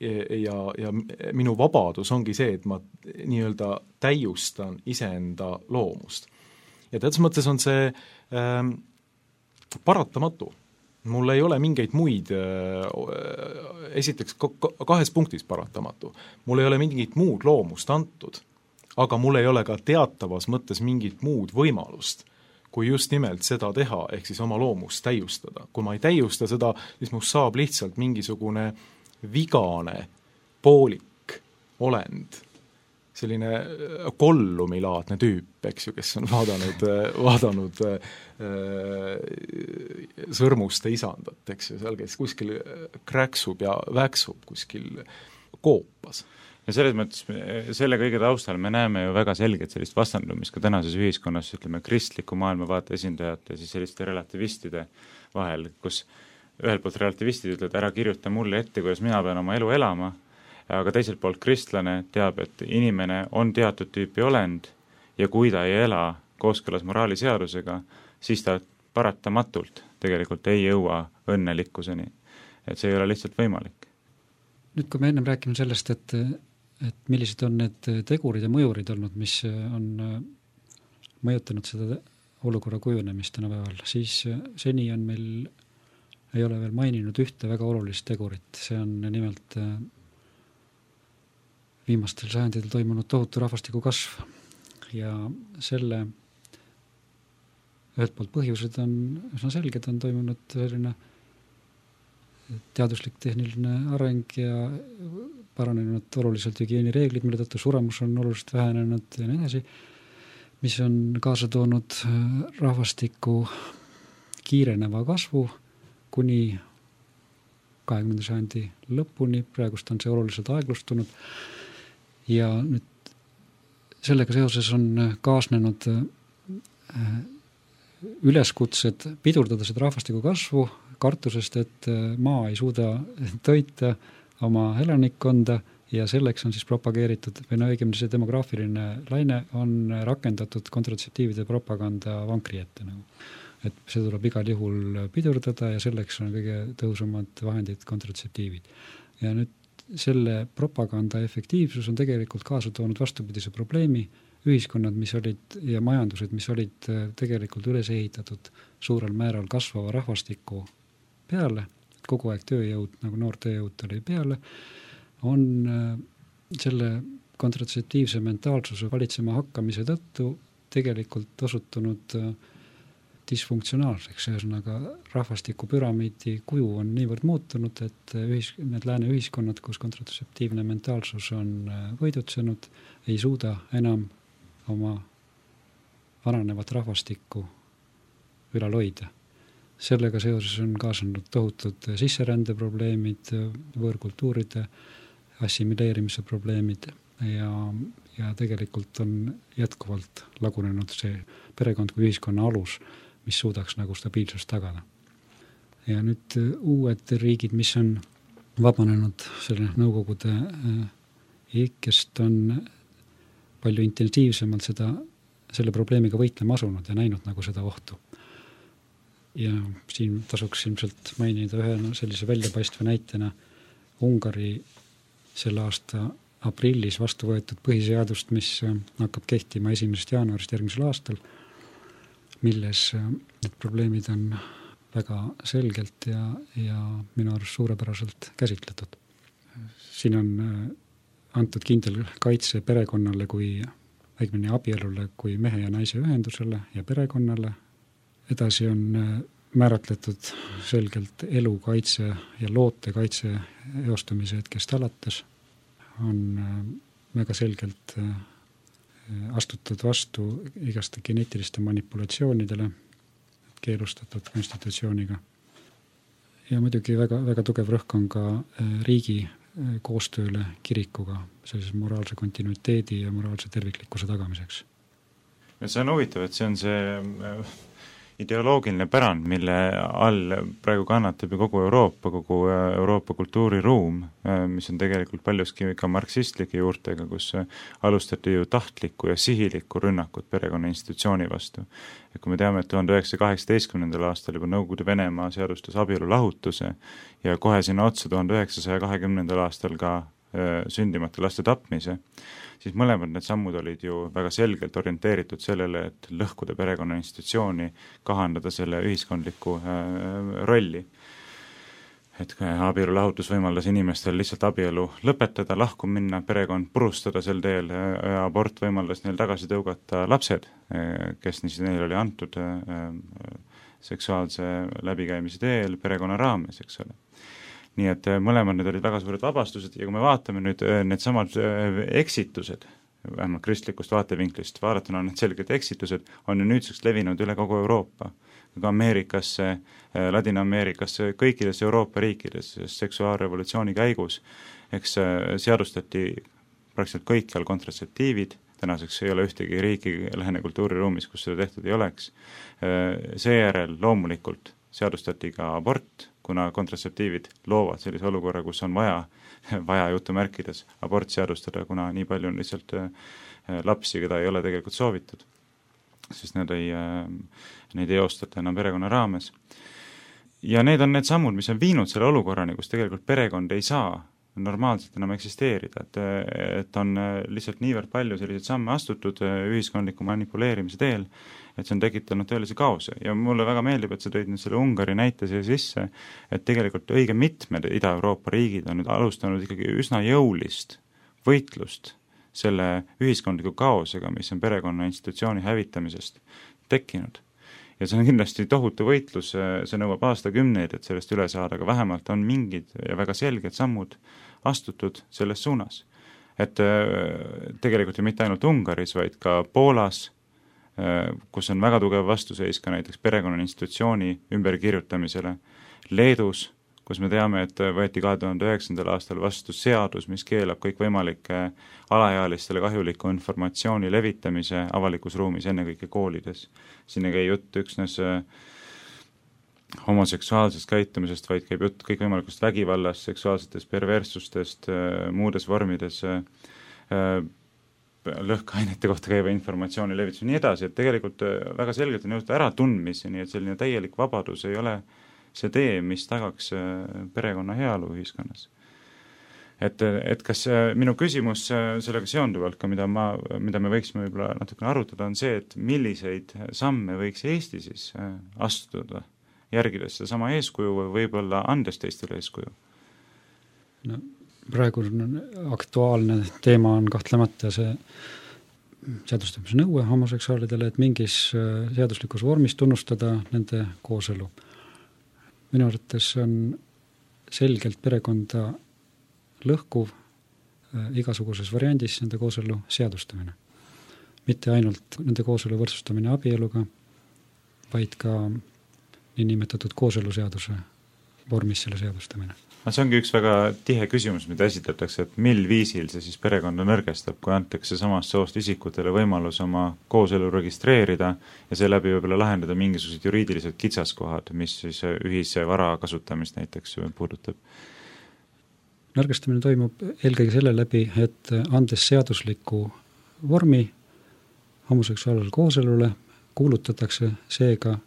Speaker 7: ja, ja minu vabadus ongi see, et ma nii-öelda täiustan iseenda loomust. Ja teatud mõttes on see ähm, paratamatu. Mul ei ole mingeid muid, äh, esiteks kahes punktis paratamatu. Mul ei ole mingit muud loomust antud, aga mul ei ole ka teatavas mõttes mingit muud võimalust, kui just nimelt seda teha, ehk siis oma loomust täiustada. Kui ma ei täiusta seda, siis must saab lihtsalt mingisugune vigane, poolik olend, selline kollumilaadne tüüp, eks ju, kes on vaadanud, vaadanud äh, sõrmuste isandat, eks ju, seal kes kuskil kräksub ja väksub kuskil koopas.
Speaker 5: Ja selles mõttes, selle kõige taustal me näeme ju väga selgelt sellist vastandumist ka tänases ühiskonnas, ütleme, kristliku maailmavaate esindajate ja siis selliste relativistide vahel, kus ühelt poolt relativistid ütlevad, ära kirjuta mulle ette, kuidas mina pean oma elu elama, aga teiselt poolt kristlane teab, et inimene on teatud tüüpi olend ja kui ta ei ela kooskõlas moraaliseadusega, siis ta paratamatult tegelikult ei jõua õnnelikkuseni. Et see ei ole lihtsalt võimalik.
Speaker 6: Nüüd, kui me ennem räägime sellest, et, et millised on need tegurid ja mõjurid olnud, mis on mõjutanud seda olukorra kujunemist tänapäeval, siis seni on meil ei ole veel maininud ühte väga olulist tegurit. See on nimelt viimastel sajandidel toimunud tohutu rahvastiku kasv. Ja selle ühelt poolt põhjused on üsna selged, on toimunud selline teaduslik tehniline areng ja paranenud oluliselt hügieenireeglid, mille tõttu suremus on oluliselt vähenenud ja nii edasi, mis on kaasa toonud rahvastiku kiireneva kasvu kuni kahekümnenda sajandi lõpuni, praegust on see oluliselt aeglustunud ja nüüd sellega seoses on kaasnenud üleskutsed pidurdada seda rahvastiku kasvu, kartusest, et maa ei suuda toita oma elanikkonda ja selleks on siis propageeritud, või no õigemini see demograafiline laine on rakendatud kontratseptiivide propaganda vankri ette nagu. Et see tuleb igal juhul pidurdada ja selleks on kõige tõhusamad vahendid kontratseptiivid. Ja nüüd selle propaganda efektiivsus on tegelikult kaasa toonud vastupidise probleemi, ühiskonnad, mis olid ja majandused, mis olid tegelikult üles ehitatud suurel määral kasvava rahvastiku peale, kogu aeg tööjõud, nagu noor tööjõud oli peale, on selle kontratseptiivse mentaalsuse valitsema hakkamise tõttu tegelikult osutunud disfunktsionaalseks, ühesõnaga rahvastiku püramiidi kuju on niivõrd muutunud, et ühis, need lääne ühiskonnad, kus kontratseptiivne mentaalsus on võidutsenud, ei suuda enam oma vananevat rahvastikku ülal hoida. Sellega seoses on kaasanud tohutud sisserändeprobleemid, võõrkultuuride assimileerimise probleemid ja, ja tegelikult on jätkuvalt lagunenud see perekond kui ühiskonna alus, mis suudaks nagu stabiilsust tagada. Ja nüüd uued riigid, mis on vabanenud selle nõukogude ikkest, on palju intensiivsemalt seda, selle probleemiga võitlema asunud ja näinud nagu seda ohtu. Ja siin tasuks ilmselt mainida ühe sellise väljapaistva näitena Ungari selle aasta aprillis vastu võetud põhiseadust, mis hakkab kehtima esimesest jaanuarist järgmisel aastal, milles need probleemid on väga selgelt ja, ja minu arust suurepäraselt käsitletud. Siin on antud kindel kaitse perekonnale kui õigemini abielule kui mehe ja naise ühendusele ja perekonnale. Edasi on määratletud selgelt elu kaitse ja loote kaitse eostumise hetkest alates. On väga selgelt astutud vastu igaste geneetiliste manipulatsioonidele, keelustatud konstitutsiooniga. Ja muidugi väga, väga tugev rõhk on ka riigi koostööle kirikuga sellise moraalse kontinuiteedi ja moraalse terviklikkuse tagamiseks.
Speaker 5: Ja see on huvitav, et see on see ideoloogiline pärand, mille all praegu kannatab ju kogu Euroopa, kogu Euroopa kultuuriruum, mis on tegelikult paljuski ka marksistlike juurtega, kus alustati ju tahtlikku ja sihilikku rünnakut perekonna institutsiooni vastu. Ja kui me teame, et tuhande üheksasaja kaheksateistkümnendal aastal juba Nõukogude Venemaa seadustas abielu lahutuse ja kohe sinna otsa tuhande üheksasaja kahekümnendal aastal ka sündimata laste tapmise, siis mõlemad need sammud olid ju väga selgelt orienteeritud sellele, et lõhkuda perekonna institutsiooni, kahandada selle ühiskondliku rolli. Et abielu lahutus võimaldas inimestel lihtsalt abielu lõpetada, lahku minna, perekond purustada sel teel ja abort võimaldas neil tagasi tõugata lapsed, kes neil oli antud seksuaalse läbikäimise teel perekonna raames, eks ole. Nii et mõlemad need olid väga suured vabastused ja kui me vaatame nüüd need samad eksitused, vähemalt kristlikust vaatevinklist vaadatuna need selged eksitused, on ju nüüdseks levinud üle kogu Euroopa, ka Ameerikasse, Ladina-Ameerikasse, kõikides Euroopa riikides seksuaalrevolutsiooni käigus, eks seadustati praktiliselt kõikjal kontratseptiivid, tänaseks ei ole ühtegi riiki lähene kultuuriruumis, kus seda tehtud ei oleks. Seejärel loomulikult seadustati ka abort, kuna kontratseptiivid loovad sellise olukorra, kus on vaja, vaja jutumärkides abort seadustada, kuna nii palju on lihtsalt lapsi, keda ei ole tegelikult soovitud, sest need ei, neid ei eostata enam perekonna raames. Ja need on need sammud, mis on viinud selle olukorrani, kus tegelikult perekond ei saa normaalselt enam eksisteerida, et, et on lihtsalt niivõrd palju selliseid samme astutud ühiskondliku manipuleerimise teel, et see on tekitanud tõelise kaose. Ja mulle väga meeldib, et sa tõid nüüd selle Ungari näite siia sisse, et tegelikult õige mitmed Ida-Euroopa riigid on nüüd alustanud ikkagi üsna jõulist võitlust selle ühiskondliku kaosega, mis on perekonna institutsiooni hävitamisest tekkinud. Ja see on kindlasti tohutu võitlus, see nõuab aastakümneid, et sellest üle saada, aga vähemalt on mingid ja väga selged sammud astutud selles suunas. Et tegelikult ju mitte ainult Ungaris, vaid ka Poolas, kus on väga tugev vastuseis ka näiteks perekonna institutsiooni ümberkirjutamisele, Leedus, kus me teame, et võeti kahe tuhande üheksandal aastal vastu seadus, mis keelab kõik võimalike alaealistele kahjuliku informatsiooni levitamise avalikus ruumis, ennekõike koolides. Siin ei käi jutt üksnes homoseksuaalsest käitumisest, vaid käib jutt kõik võimalikust vägivallast, seksuaalsetest perverssustest, muudes vormides lõhkeainete kohta käiva informatsiooni levitus ja nii edasi, et tegelikult väga selgelt on jõutud ära tundmisi, nii et selline täielik vabadus ei ole see tee, mis tagaks perekonna heaolu ühiskonnas. Et, et kas minu küsimus sellega seonduvalt ka, mida, ma, mida me võiksime võib-olla natukene arutada, on see, et milliseid samme võiks Eesti siis astuda, järgides seda sama eeskuju või võib-olla andes teistele eeskuju?
Speaker 6: No, praegu aktuaalne teema on kahtlemata see seadustamise nõue homoseksuaalidele, et mingis seaduslikus vormis tunnustada nende kooselu. Minu arvates on selgelt perekonda lõhkuv igasuguses variandis nende kooselu seadustamine. Mitte ainult nende kooselu võrdsustamine abieluga, vaid ka niinimetatud kooseluseaduse vormis selle seadustamine.
Speaker 5: See ongi üks väga tihe küsimus, mida esitatakse, et mil viisil see siis perekonda nõrgestab, kui antakse samast soost isikutele võimalus oma kooselu registreerida ja seeläbi võib-olla lahendada mingisugused juriidilised kitsaskohad, mis siis ühise vara kasutamist näiteks puudutab.
Speaker 6: Nõrgestamine toimub eelkõige selle läbi, et andes seadusliku vormi homoseksuaalsele kooselule, kuulutatakse seega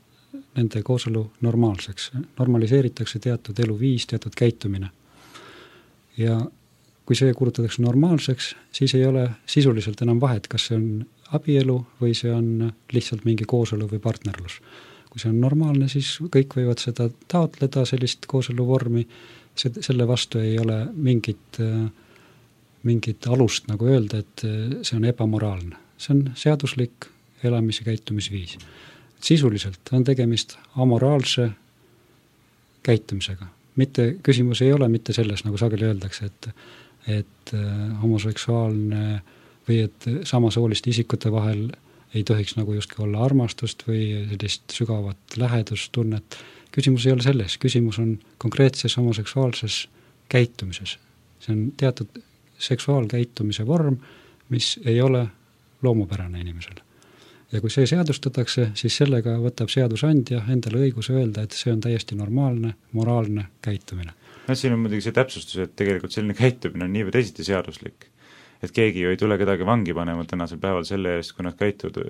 Speaker 6: nende kooselu normaalseks. Normaliseeritakse teatud eluviis, teatud käitumine. Ja kui see kuulutatakse normaalseks, siis ei ole sisuliselt enam vahet, kas see on abielu või see on lihtsalt mingi kooselu või partnerlus. Kui see on normaalne, siis kõik võivad seda taotleda, sellist kooselu vormi, selle vastu ei ole mingit, mingit alust nagu öelda, et see on ebamoraalne. See on seaduslik elamis- ja käitumisviis. Sisuliselt on tegemist amoraalse käitumisega. Mitte, küsimus ei ole mitte selles, nagu sageli öeldakse, et, et homoseksuaalne või et samasooliste isikute vahel ei tohiks nagu justkui olla armastust või sellist sügavat lähedustunnet. Küsimus ei ole selles, küsimus on konkreetses homoseksuaalses käitumises. See on teatud seksuaalkäitumise vorm, mis ei ole loomupärane inimesele. Ja kui see seadustatakse, siis sellega võtab seadusandja endale õiguse öelda, et see on täiesti normaalne, moraalne käitumine.
Speaker 5: No, siin on muidugi see täpsustus, et tegelikult selline käitumine on nii või teisiti seaduslik. Et keegi ju ei tule kedagi vangi panema tänasel päeval selle eest, kui nad käituvad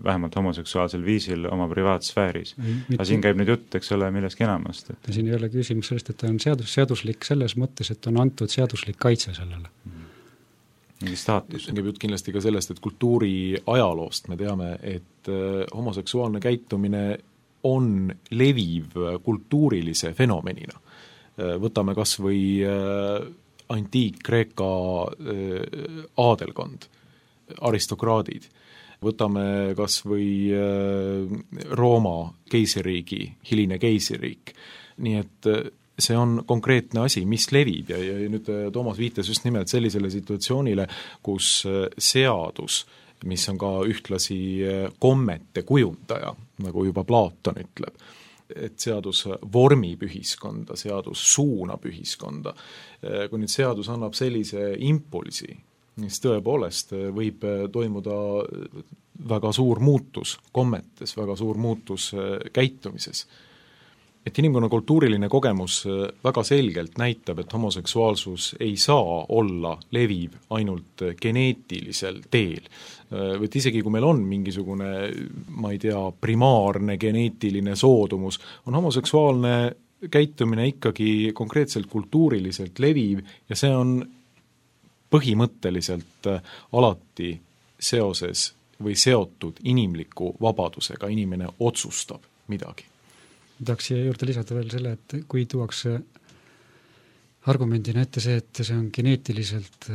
Speaker 5: vähemalt homoseksuaalsel viisil oma privaatsfääris. Aga siin käib nüüd jutt, eks ole, millestki enamast. Et...
Speaker 6: Siin ei ole küsimus sellest, et ta on seadus, seaduslik selles mõttes, et on antud seaduslik kaitse sellele. Mm.
Speaker 5: mingi staatus.
Speaker 7: Käib jutt kindlasti ka sellest, et kultuuri ajaloost me teame, et homoseksuaalne käitumine on leviv kultuurilise fenomenina. Võtame kas või antiik-Kreeka aadelkond, aristokraadid. Võtame kas või Rooma keiseriigi, hiline keiseriik. Nii et see on konkreetne asi, mis levib ja, ja nüüd Toomas viitas just nimelt sellisele situatsioonile, kus seadus, mis on ka ühtlasi kommete kujundaja, nagu juba Platon ütleb, et seadus vormib ühiskonda, seadus suunab ühiskonda. Kui nüüd seadus annab sellise impulsi, siis tõepoolest võib toimuda väga suur muutus kommetes, väga suur muutus käitumises. Et inimkonna kultuuriline kogemus väga selgelt näitab, et homoseksuaalsus ei saa olla leviv ainult geneetilisel teel. Võt isegi kui meil on mingisugune, ma ei tea, primaarne geneetiline soodumus, on homoseksuaalne käitumine ikkagi konkreetselt kultuuriliselt leviv ja see on põhimõtteliselt alati seoses või seotud inimliku vabadusega, inimene otsustab midagi.
Speaker 6: Tahaks siia juurde lisada veel selle, et kui tuuakse argumendina ette see, et see on geneetiliselt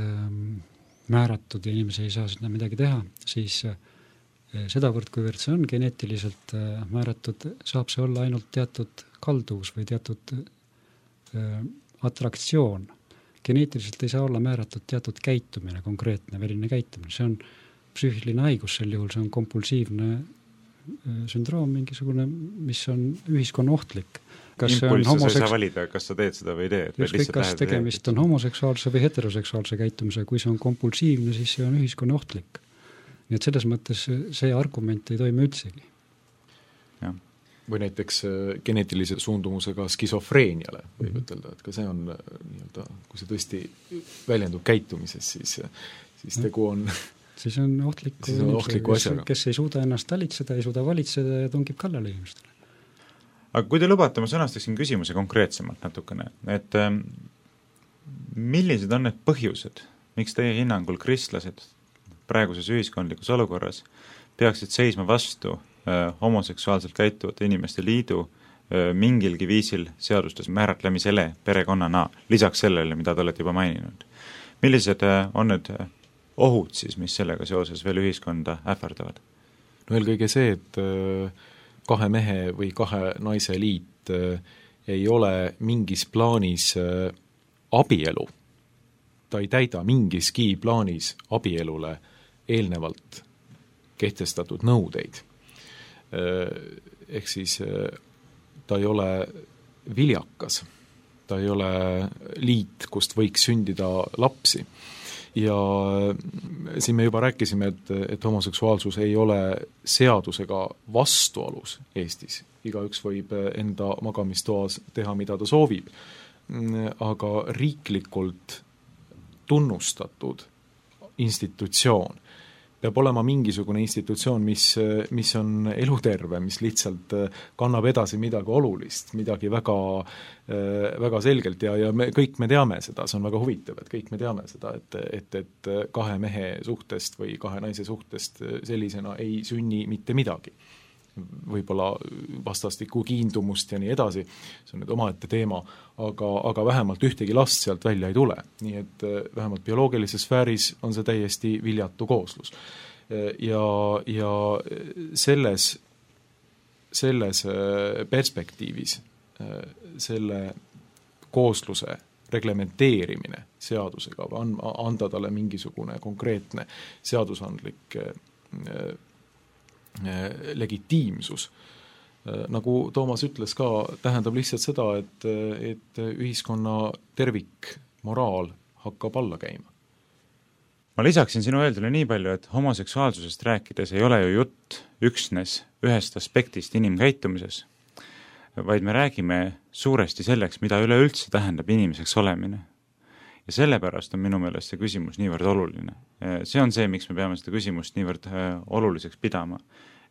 Speaker 6: määratud ja inimese ei saa sinna midagi teha, siis sedavõrd, kuivõrd see on geneetiliselt määratud, saab see olla ainult teatud kalduvus või teatud atraktsioon. Geneetiliselt ei saa olla määratud teatud käitumine, konkreetne väline käitumine. See on psüühiline haigus sel juhul, see on kompulsiivne sündroom mingisugune, mis on ühiskonna ohtlik.
Speaker 5: Kas impulss homoseks... sa ei saa valida, kas sa teed seda või ei tee.
Speaker 6: Just kas tegemist teed. On homoseksuaalse või heteroseksuaalse käitumise, kui see on kompulsiivne, siis see on ühiskonna ohtlik. Nii et selles mõttes see argument ei toimi üldsegi.
Speaker 7: Ja. Või näiteks geneetilise suundumusega skisofreeniale võib ütelda, et ka see on nii-öelda, kui see tõesti väljendub käitumises, siis, siis tegu on...
Speaker 6: siis on ohtliku,
Speaker 7: siis on ohtliku asjaga.
Speaker 6: Kes ei suuda ennast talitseda, ei suuda valitseda ja tungib kallale inimestele.
Speaker 5: Aga kui te lubate, ma sõnastaksin küsimuse konkreetsemalt natukene, et ähm, millised on need põhjused, miks teie hinnangul kristlased praeguses ühiskondlikus olukorras peaksid seisma vastu äh, homoseksuaalselt käituvate inimeste liidu äh, mingilgi viisil seadustes määratlemisele perekonnana, lisaks sellele, mida te olete juba maininud. Millised äh, on need äh, ohud siis, mis sellega seoses veel ühiskonda ähvardavad?
Speaker 7: No eelkõige see, et kahe mehe või kahe naise liit ei ole mingis plaanis abielu. Ta ei täida mingiski plaanis abielule eelnevalt kehtestatud nõudeid. Ehk siis ta ei ole viljakas. Ta ei ole liit, kust võiks sündida lapsi. Ja siin me juba rääkisime, et, et homoseksuaalsus ei ole seadusega vastuolus Eestis. Igaüks võib enda magamistoas teha, mida ta soovib. Aga riiklikult tunnustatud institutsioon peab olema mingisugune institutsioon, mis, mis on eluterve, mis lihtsalt kannab edasi midagi olulist, midagi väga, väga selgelt ja, ja me, kõik me teame seda, see on väga huvitav, et kõik me teame seda, et, et, et kahe mehe suhtest või kahe naise suhtest sellisena ei sünni mitte midagi. Võib-olla vastastikku kiindumust ja nii edasi, see on nüüd omaette teema, aga, aga vähemalt ühtegi last sealt välja ei tule. Nii et vähemalt bioloogilises sfääris on see täiesti viljatu kooslus. Ja, ja selles, selles perspektiivis selle koosluse reglementeerimine seadusega või anda talle mingisugune konkreetne seadusandlik legitiimsus. Nagu Toomas ütles ka, tähendab lihtsalt seda, et, et ühiskonna tervik moraal hakkab alla käima.
Speaker 5: Ma lisaksin sinu öeldule nii palju, et homoseksuaalsusest rääkides ei ole ju jutt üksnes ühest aspektist inimkäitumises, vaid me räägime suuresti selleks, mida üleüldse tähendab inimeseks olemine. Ja sellepärast on minu meelest see küsimus niivõrd oluline. See on see, miks me peame seda küsimust niivõrd oluliseks pidama.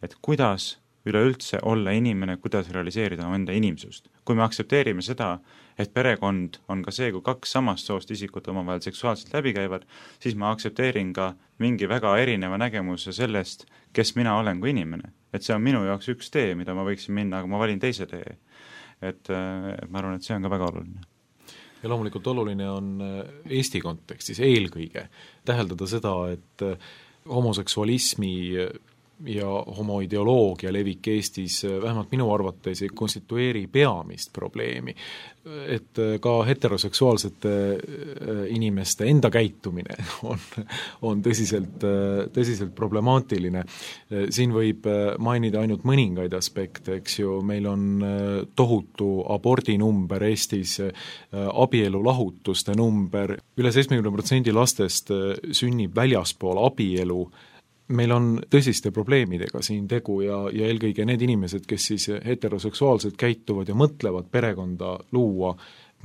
Speaker 5: Et kuidas üleüldse olla inimene, kuidas realiseerida enda inimsust. Kui me aksepteerime seda, et perekond on ka see, kui kaks samast soost isikut omavahel seksuaalselt läbi käivad, siis ma aksepteerin ka mingi väga erineva nägemuse sellest, kes mina olen kui inimene. Et see on minu jaoks üks tee, mida ma võiksin minna, aga ma valin teise tee. Et ma arvan, et see on ka väga oluline.
Speaker 7: Ja loomulikult oluline on Eesti kontekstis eelkõige täheldada seda, et homoseksualismi ja homoideoloogia levik Eestis vähemalt minu arvates ei konstitueeri peamist probleemi, et ka heteroseksuaalsete inimeste enda käitumine on, on tõsiselt, tõsiselt problemaatiline. Siin võib mainida ainult mõningaid aspekte, eks ju, meil on tohutu abordinumber Eestis, abielulahutuste number, üle seitsmekümne protsendi lastest sünnib väljaspool abielu. Meil on tõsiste probleemidega siin tegu ja, ja eelkõige need inimesed, kes siis heteroseksuaalselt käituvad ja mõtlevad perekonda luua,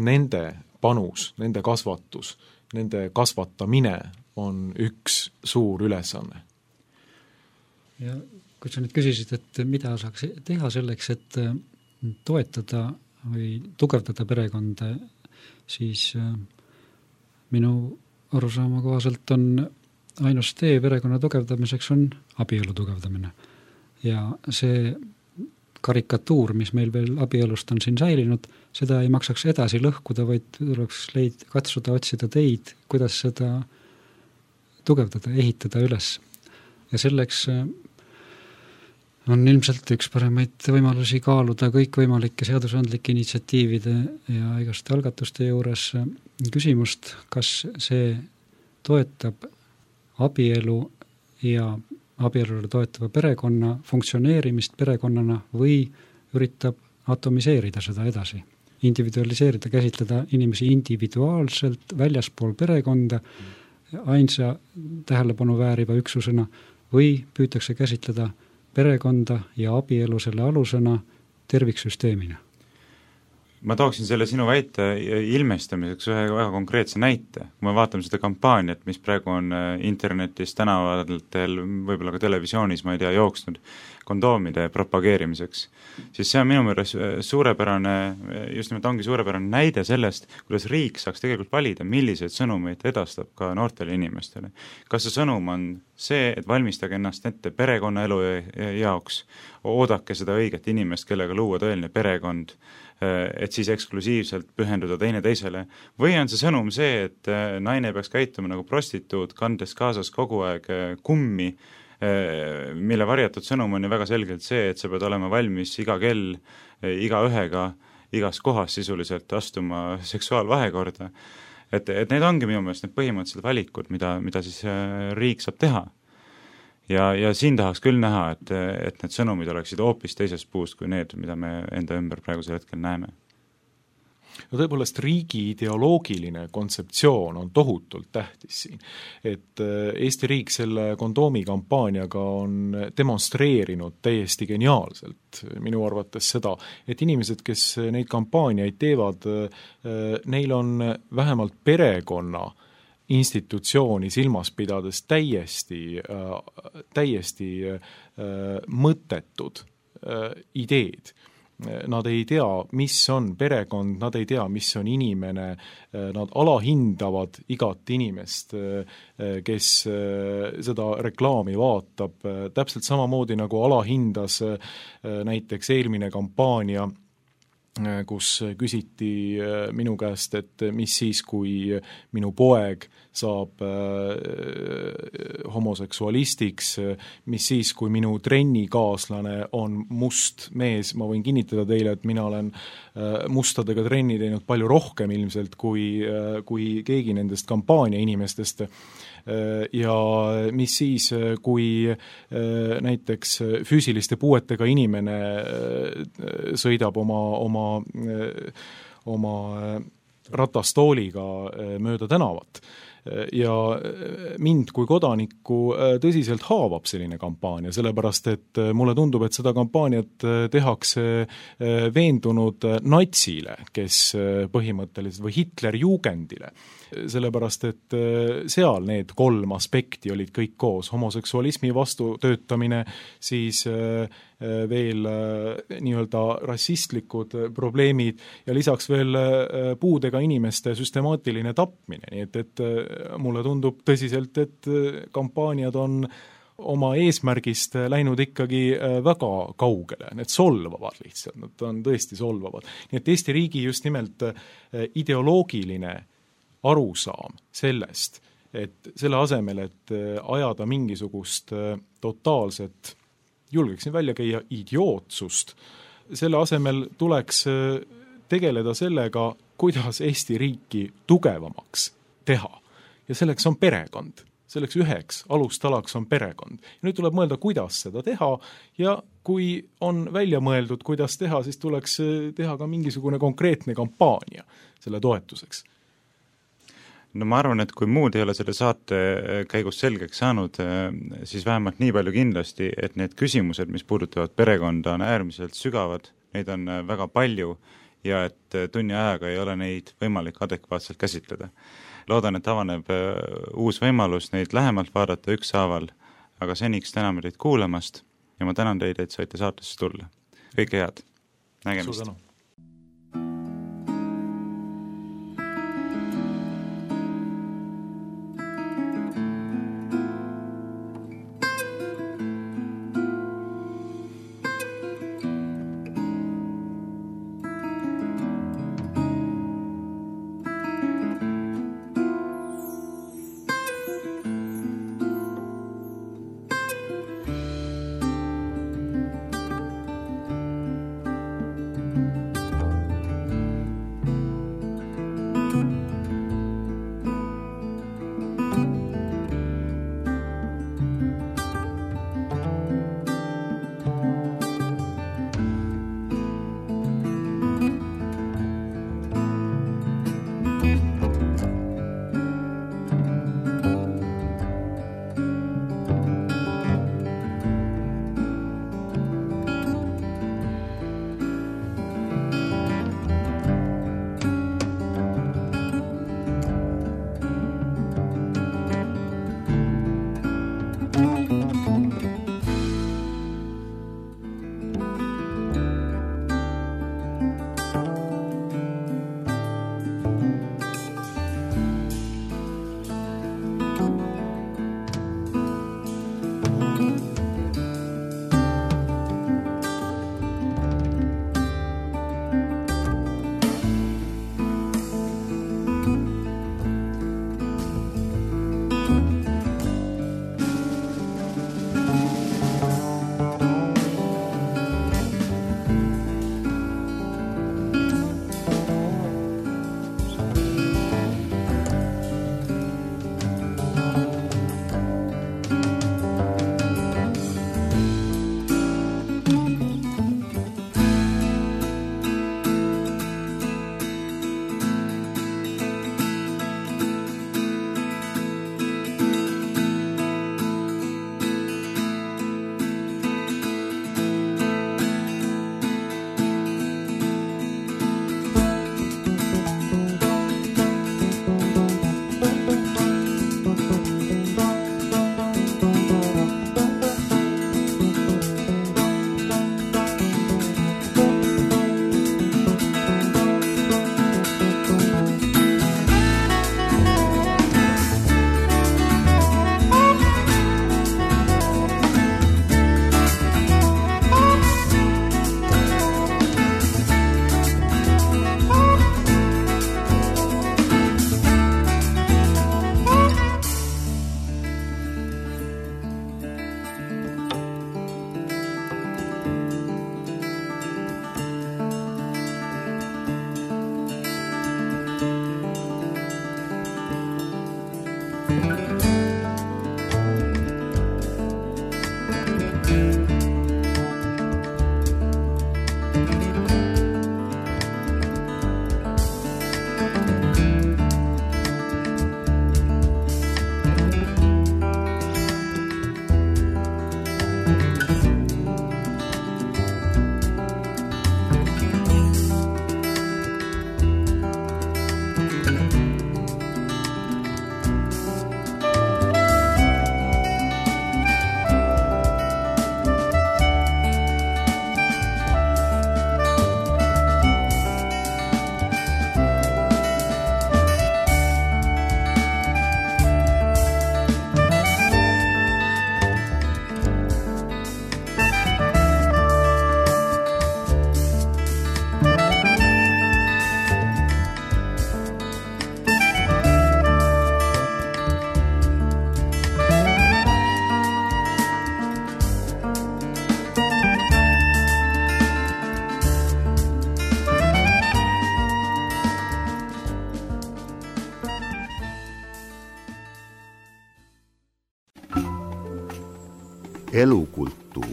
Speaker 7: nende panus, nende kasvatus, nende kasvatamine on üks suur ülesanne.
Speaker 6: Ja kui sa nüüd küsisid, et mida saaks teha selleks, et toetada või tugevdada perekonda, siis minu arusaama kohaselt on ainus tee perekonna tugevdamiseks on abielu tugevdamine. Ja see karikatuur, mis meil veel abielust on siin säilinud, seda ei maksaks edasi lõhkuda, vaid tuleks leid, katsuda otsida teid, kuidas seda tugevdada, ehitada üles. Ja selleks on ilmselt üks paremaid võimalusi kaaluda kõikvõimalike seadusandlike initsiatiivide ja igaste algatuste juures küsimust, kas see toetab abielu ja abielule toetava perekonna funktsioneerimist perekonnana või üritab atomiseerida seda edasi, individualiseerida, käsitleda inimesi individuaalselt väljaspool perekonda ainsa tähelepanu vääriva üksusena või püütakse käsitleda perekonda ja abielu selle alusena terviksüsteemina.
Speaker 5: Ma tooksin selle sinu väite ilmestamiseks ühe väga konkreetse näite. Kui me vaatame seda kampaaniat, mis praegu on internetis, tänavatel, võib-olla ka televisioonis, ma ei tea, jooksnud kondoomide propageerimiseks, siis see on minu meelest suurepärane, just nimelt ongi suurepärane näide sellest, kuidas riik saaks tegelikult valida, milliseid sõnumeid edastab ka noortele inimestele. Kas see sõnum on see, et valmistage ennast ette perekonnaelu jaoks, oodake seda õiget inimest, kellega luua tõeline perekond, et siis eksklusiivselt pühenduda teine teisele, või on see sõnum see, et naine peaks käituma nagu prostituut, kandes kaasas kogu aeg kummi, mille varjatud sõnum on ju väga selgelt see, et sa pead olema valmis iga kell, iga ühega, igas kohas sisuliselt astuma seksuaalvahekorda. Et, et need ongi minu meelest need põhimõttelised valikud, mida, mida siis riik saab teha. Ja, ja siin tahaks küll näha, et, et need sõnumid oleksid hoopis teisest puust kui need, mida me enda ümber praegusel hetkel näeme.
Speaker 7: no tõepoolest riigi ideoloogiline kontseptsioon on tohutult tähtis siin. Et Eesti riik selle kondoomi kampaaniaga on demonstreerinud täiesti geniaalselt minu arvates seda, et inimesed, kes neid kampaaniaid teevad, neil on vähemalt perekonna institutsiooni silmas pidades täiesti, täiesti mõttetud ideed. Nad ei tea, mis on perekond, nad ei tea, mis on inimene, nad alahindavad igat inimest, kes seda reklaami vaatab, täpselt samamoodi nagu alahindas näiteks eelmine kampaania, kus küsiti minu käest, et mis siis, kui minu poeg saab homoseksualistiks, mis siis, kui minu trennikaaslane on must mees, ma võin kinnitada teile, et mina olen mustadega trenni teinud palju rohkem ilmselt kui, kui keegi nendest kampaania inimestest. Ja mis siis, kui näiteks füüsiliste puuetega inimene sõidab oma, oma, oma ratastooliga mööda tänavat. Ja mind kui kodanikku tõsiselt haavab selline kampaania, sellepärast et mulle tundub, et seda kampaaniat tehakse veendunud natsile, kes põhimõtteliselt või Hitlerjugendile, sellepärast et seal need kolm aspekti olid kõik koos, homoseksualismi vastu töötamine, siis veel nii-öelda rassistlikud probleemid ja lisaks veel puudega inimeste süstemaatiline tapmine, nii et, et mulle tundub tõsiselt, et kampaaniad on oma eesmärgist läinud ikkagi väga kaugele, need solvavad lihtsalt, nad on tõesti solvavad. Nii et Eesti riigi just nimelt ideoloogiline arusaam sellest, et selle asemel, et ajada mingisugust totaalset, julgeksin välja käia idiootsust, selle asemel tuleks tegeleda sellega, kuidas Eesti riiki tugevamaks teha. Ja selleks on perekond. Selleks üheks alustalaks on perekond. Ja nüüd tuleb mõelda, kuidas seda teha ja kui on välja mõeldud, kuidas teha, siis tuleks teha ka mingisugune konkreetne kampaania selle toetuseks.
Speaker 5: No ma arvan, et kui muud ei ole selle saate käigus selgeks saanud, siis vähemalt nii palju kindlasti, et need küsimused, mis puudutavad perekonda, on äärmiselt sügavad, neid on väga palju ja et tunni ajaga ei ole neid võimalik adekvaatselt käsitleda. Loodan, et avaneb uus võimalus neid lähemalt vaadata ükshaaval, aga seniks täname teid kuulamast ja ma tänan teid, et saite saatesse tulla. Kõike head. Nägemist.
Speaker 7: Suur tänu.
Speaker 1: Thank you.
Speaker 4: Elukulttuur.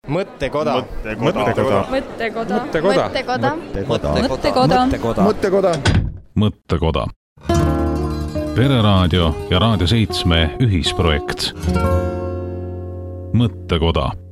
Speaker 1: Mõttekoda.
Speaker 3: Mõttekoda.
Speaker 1: Mõttekoda.
Speaker 3: Mõttekoda.
Speaker 1: Mõttekoda.
Speaker 3: Mõttekoda.
Speaker 1: Mõttekoda.
Speaker 2: Mõttekoda. Pereraadio ja Raadio seitsme ühisprojekt. Mõttekoda.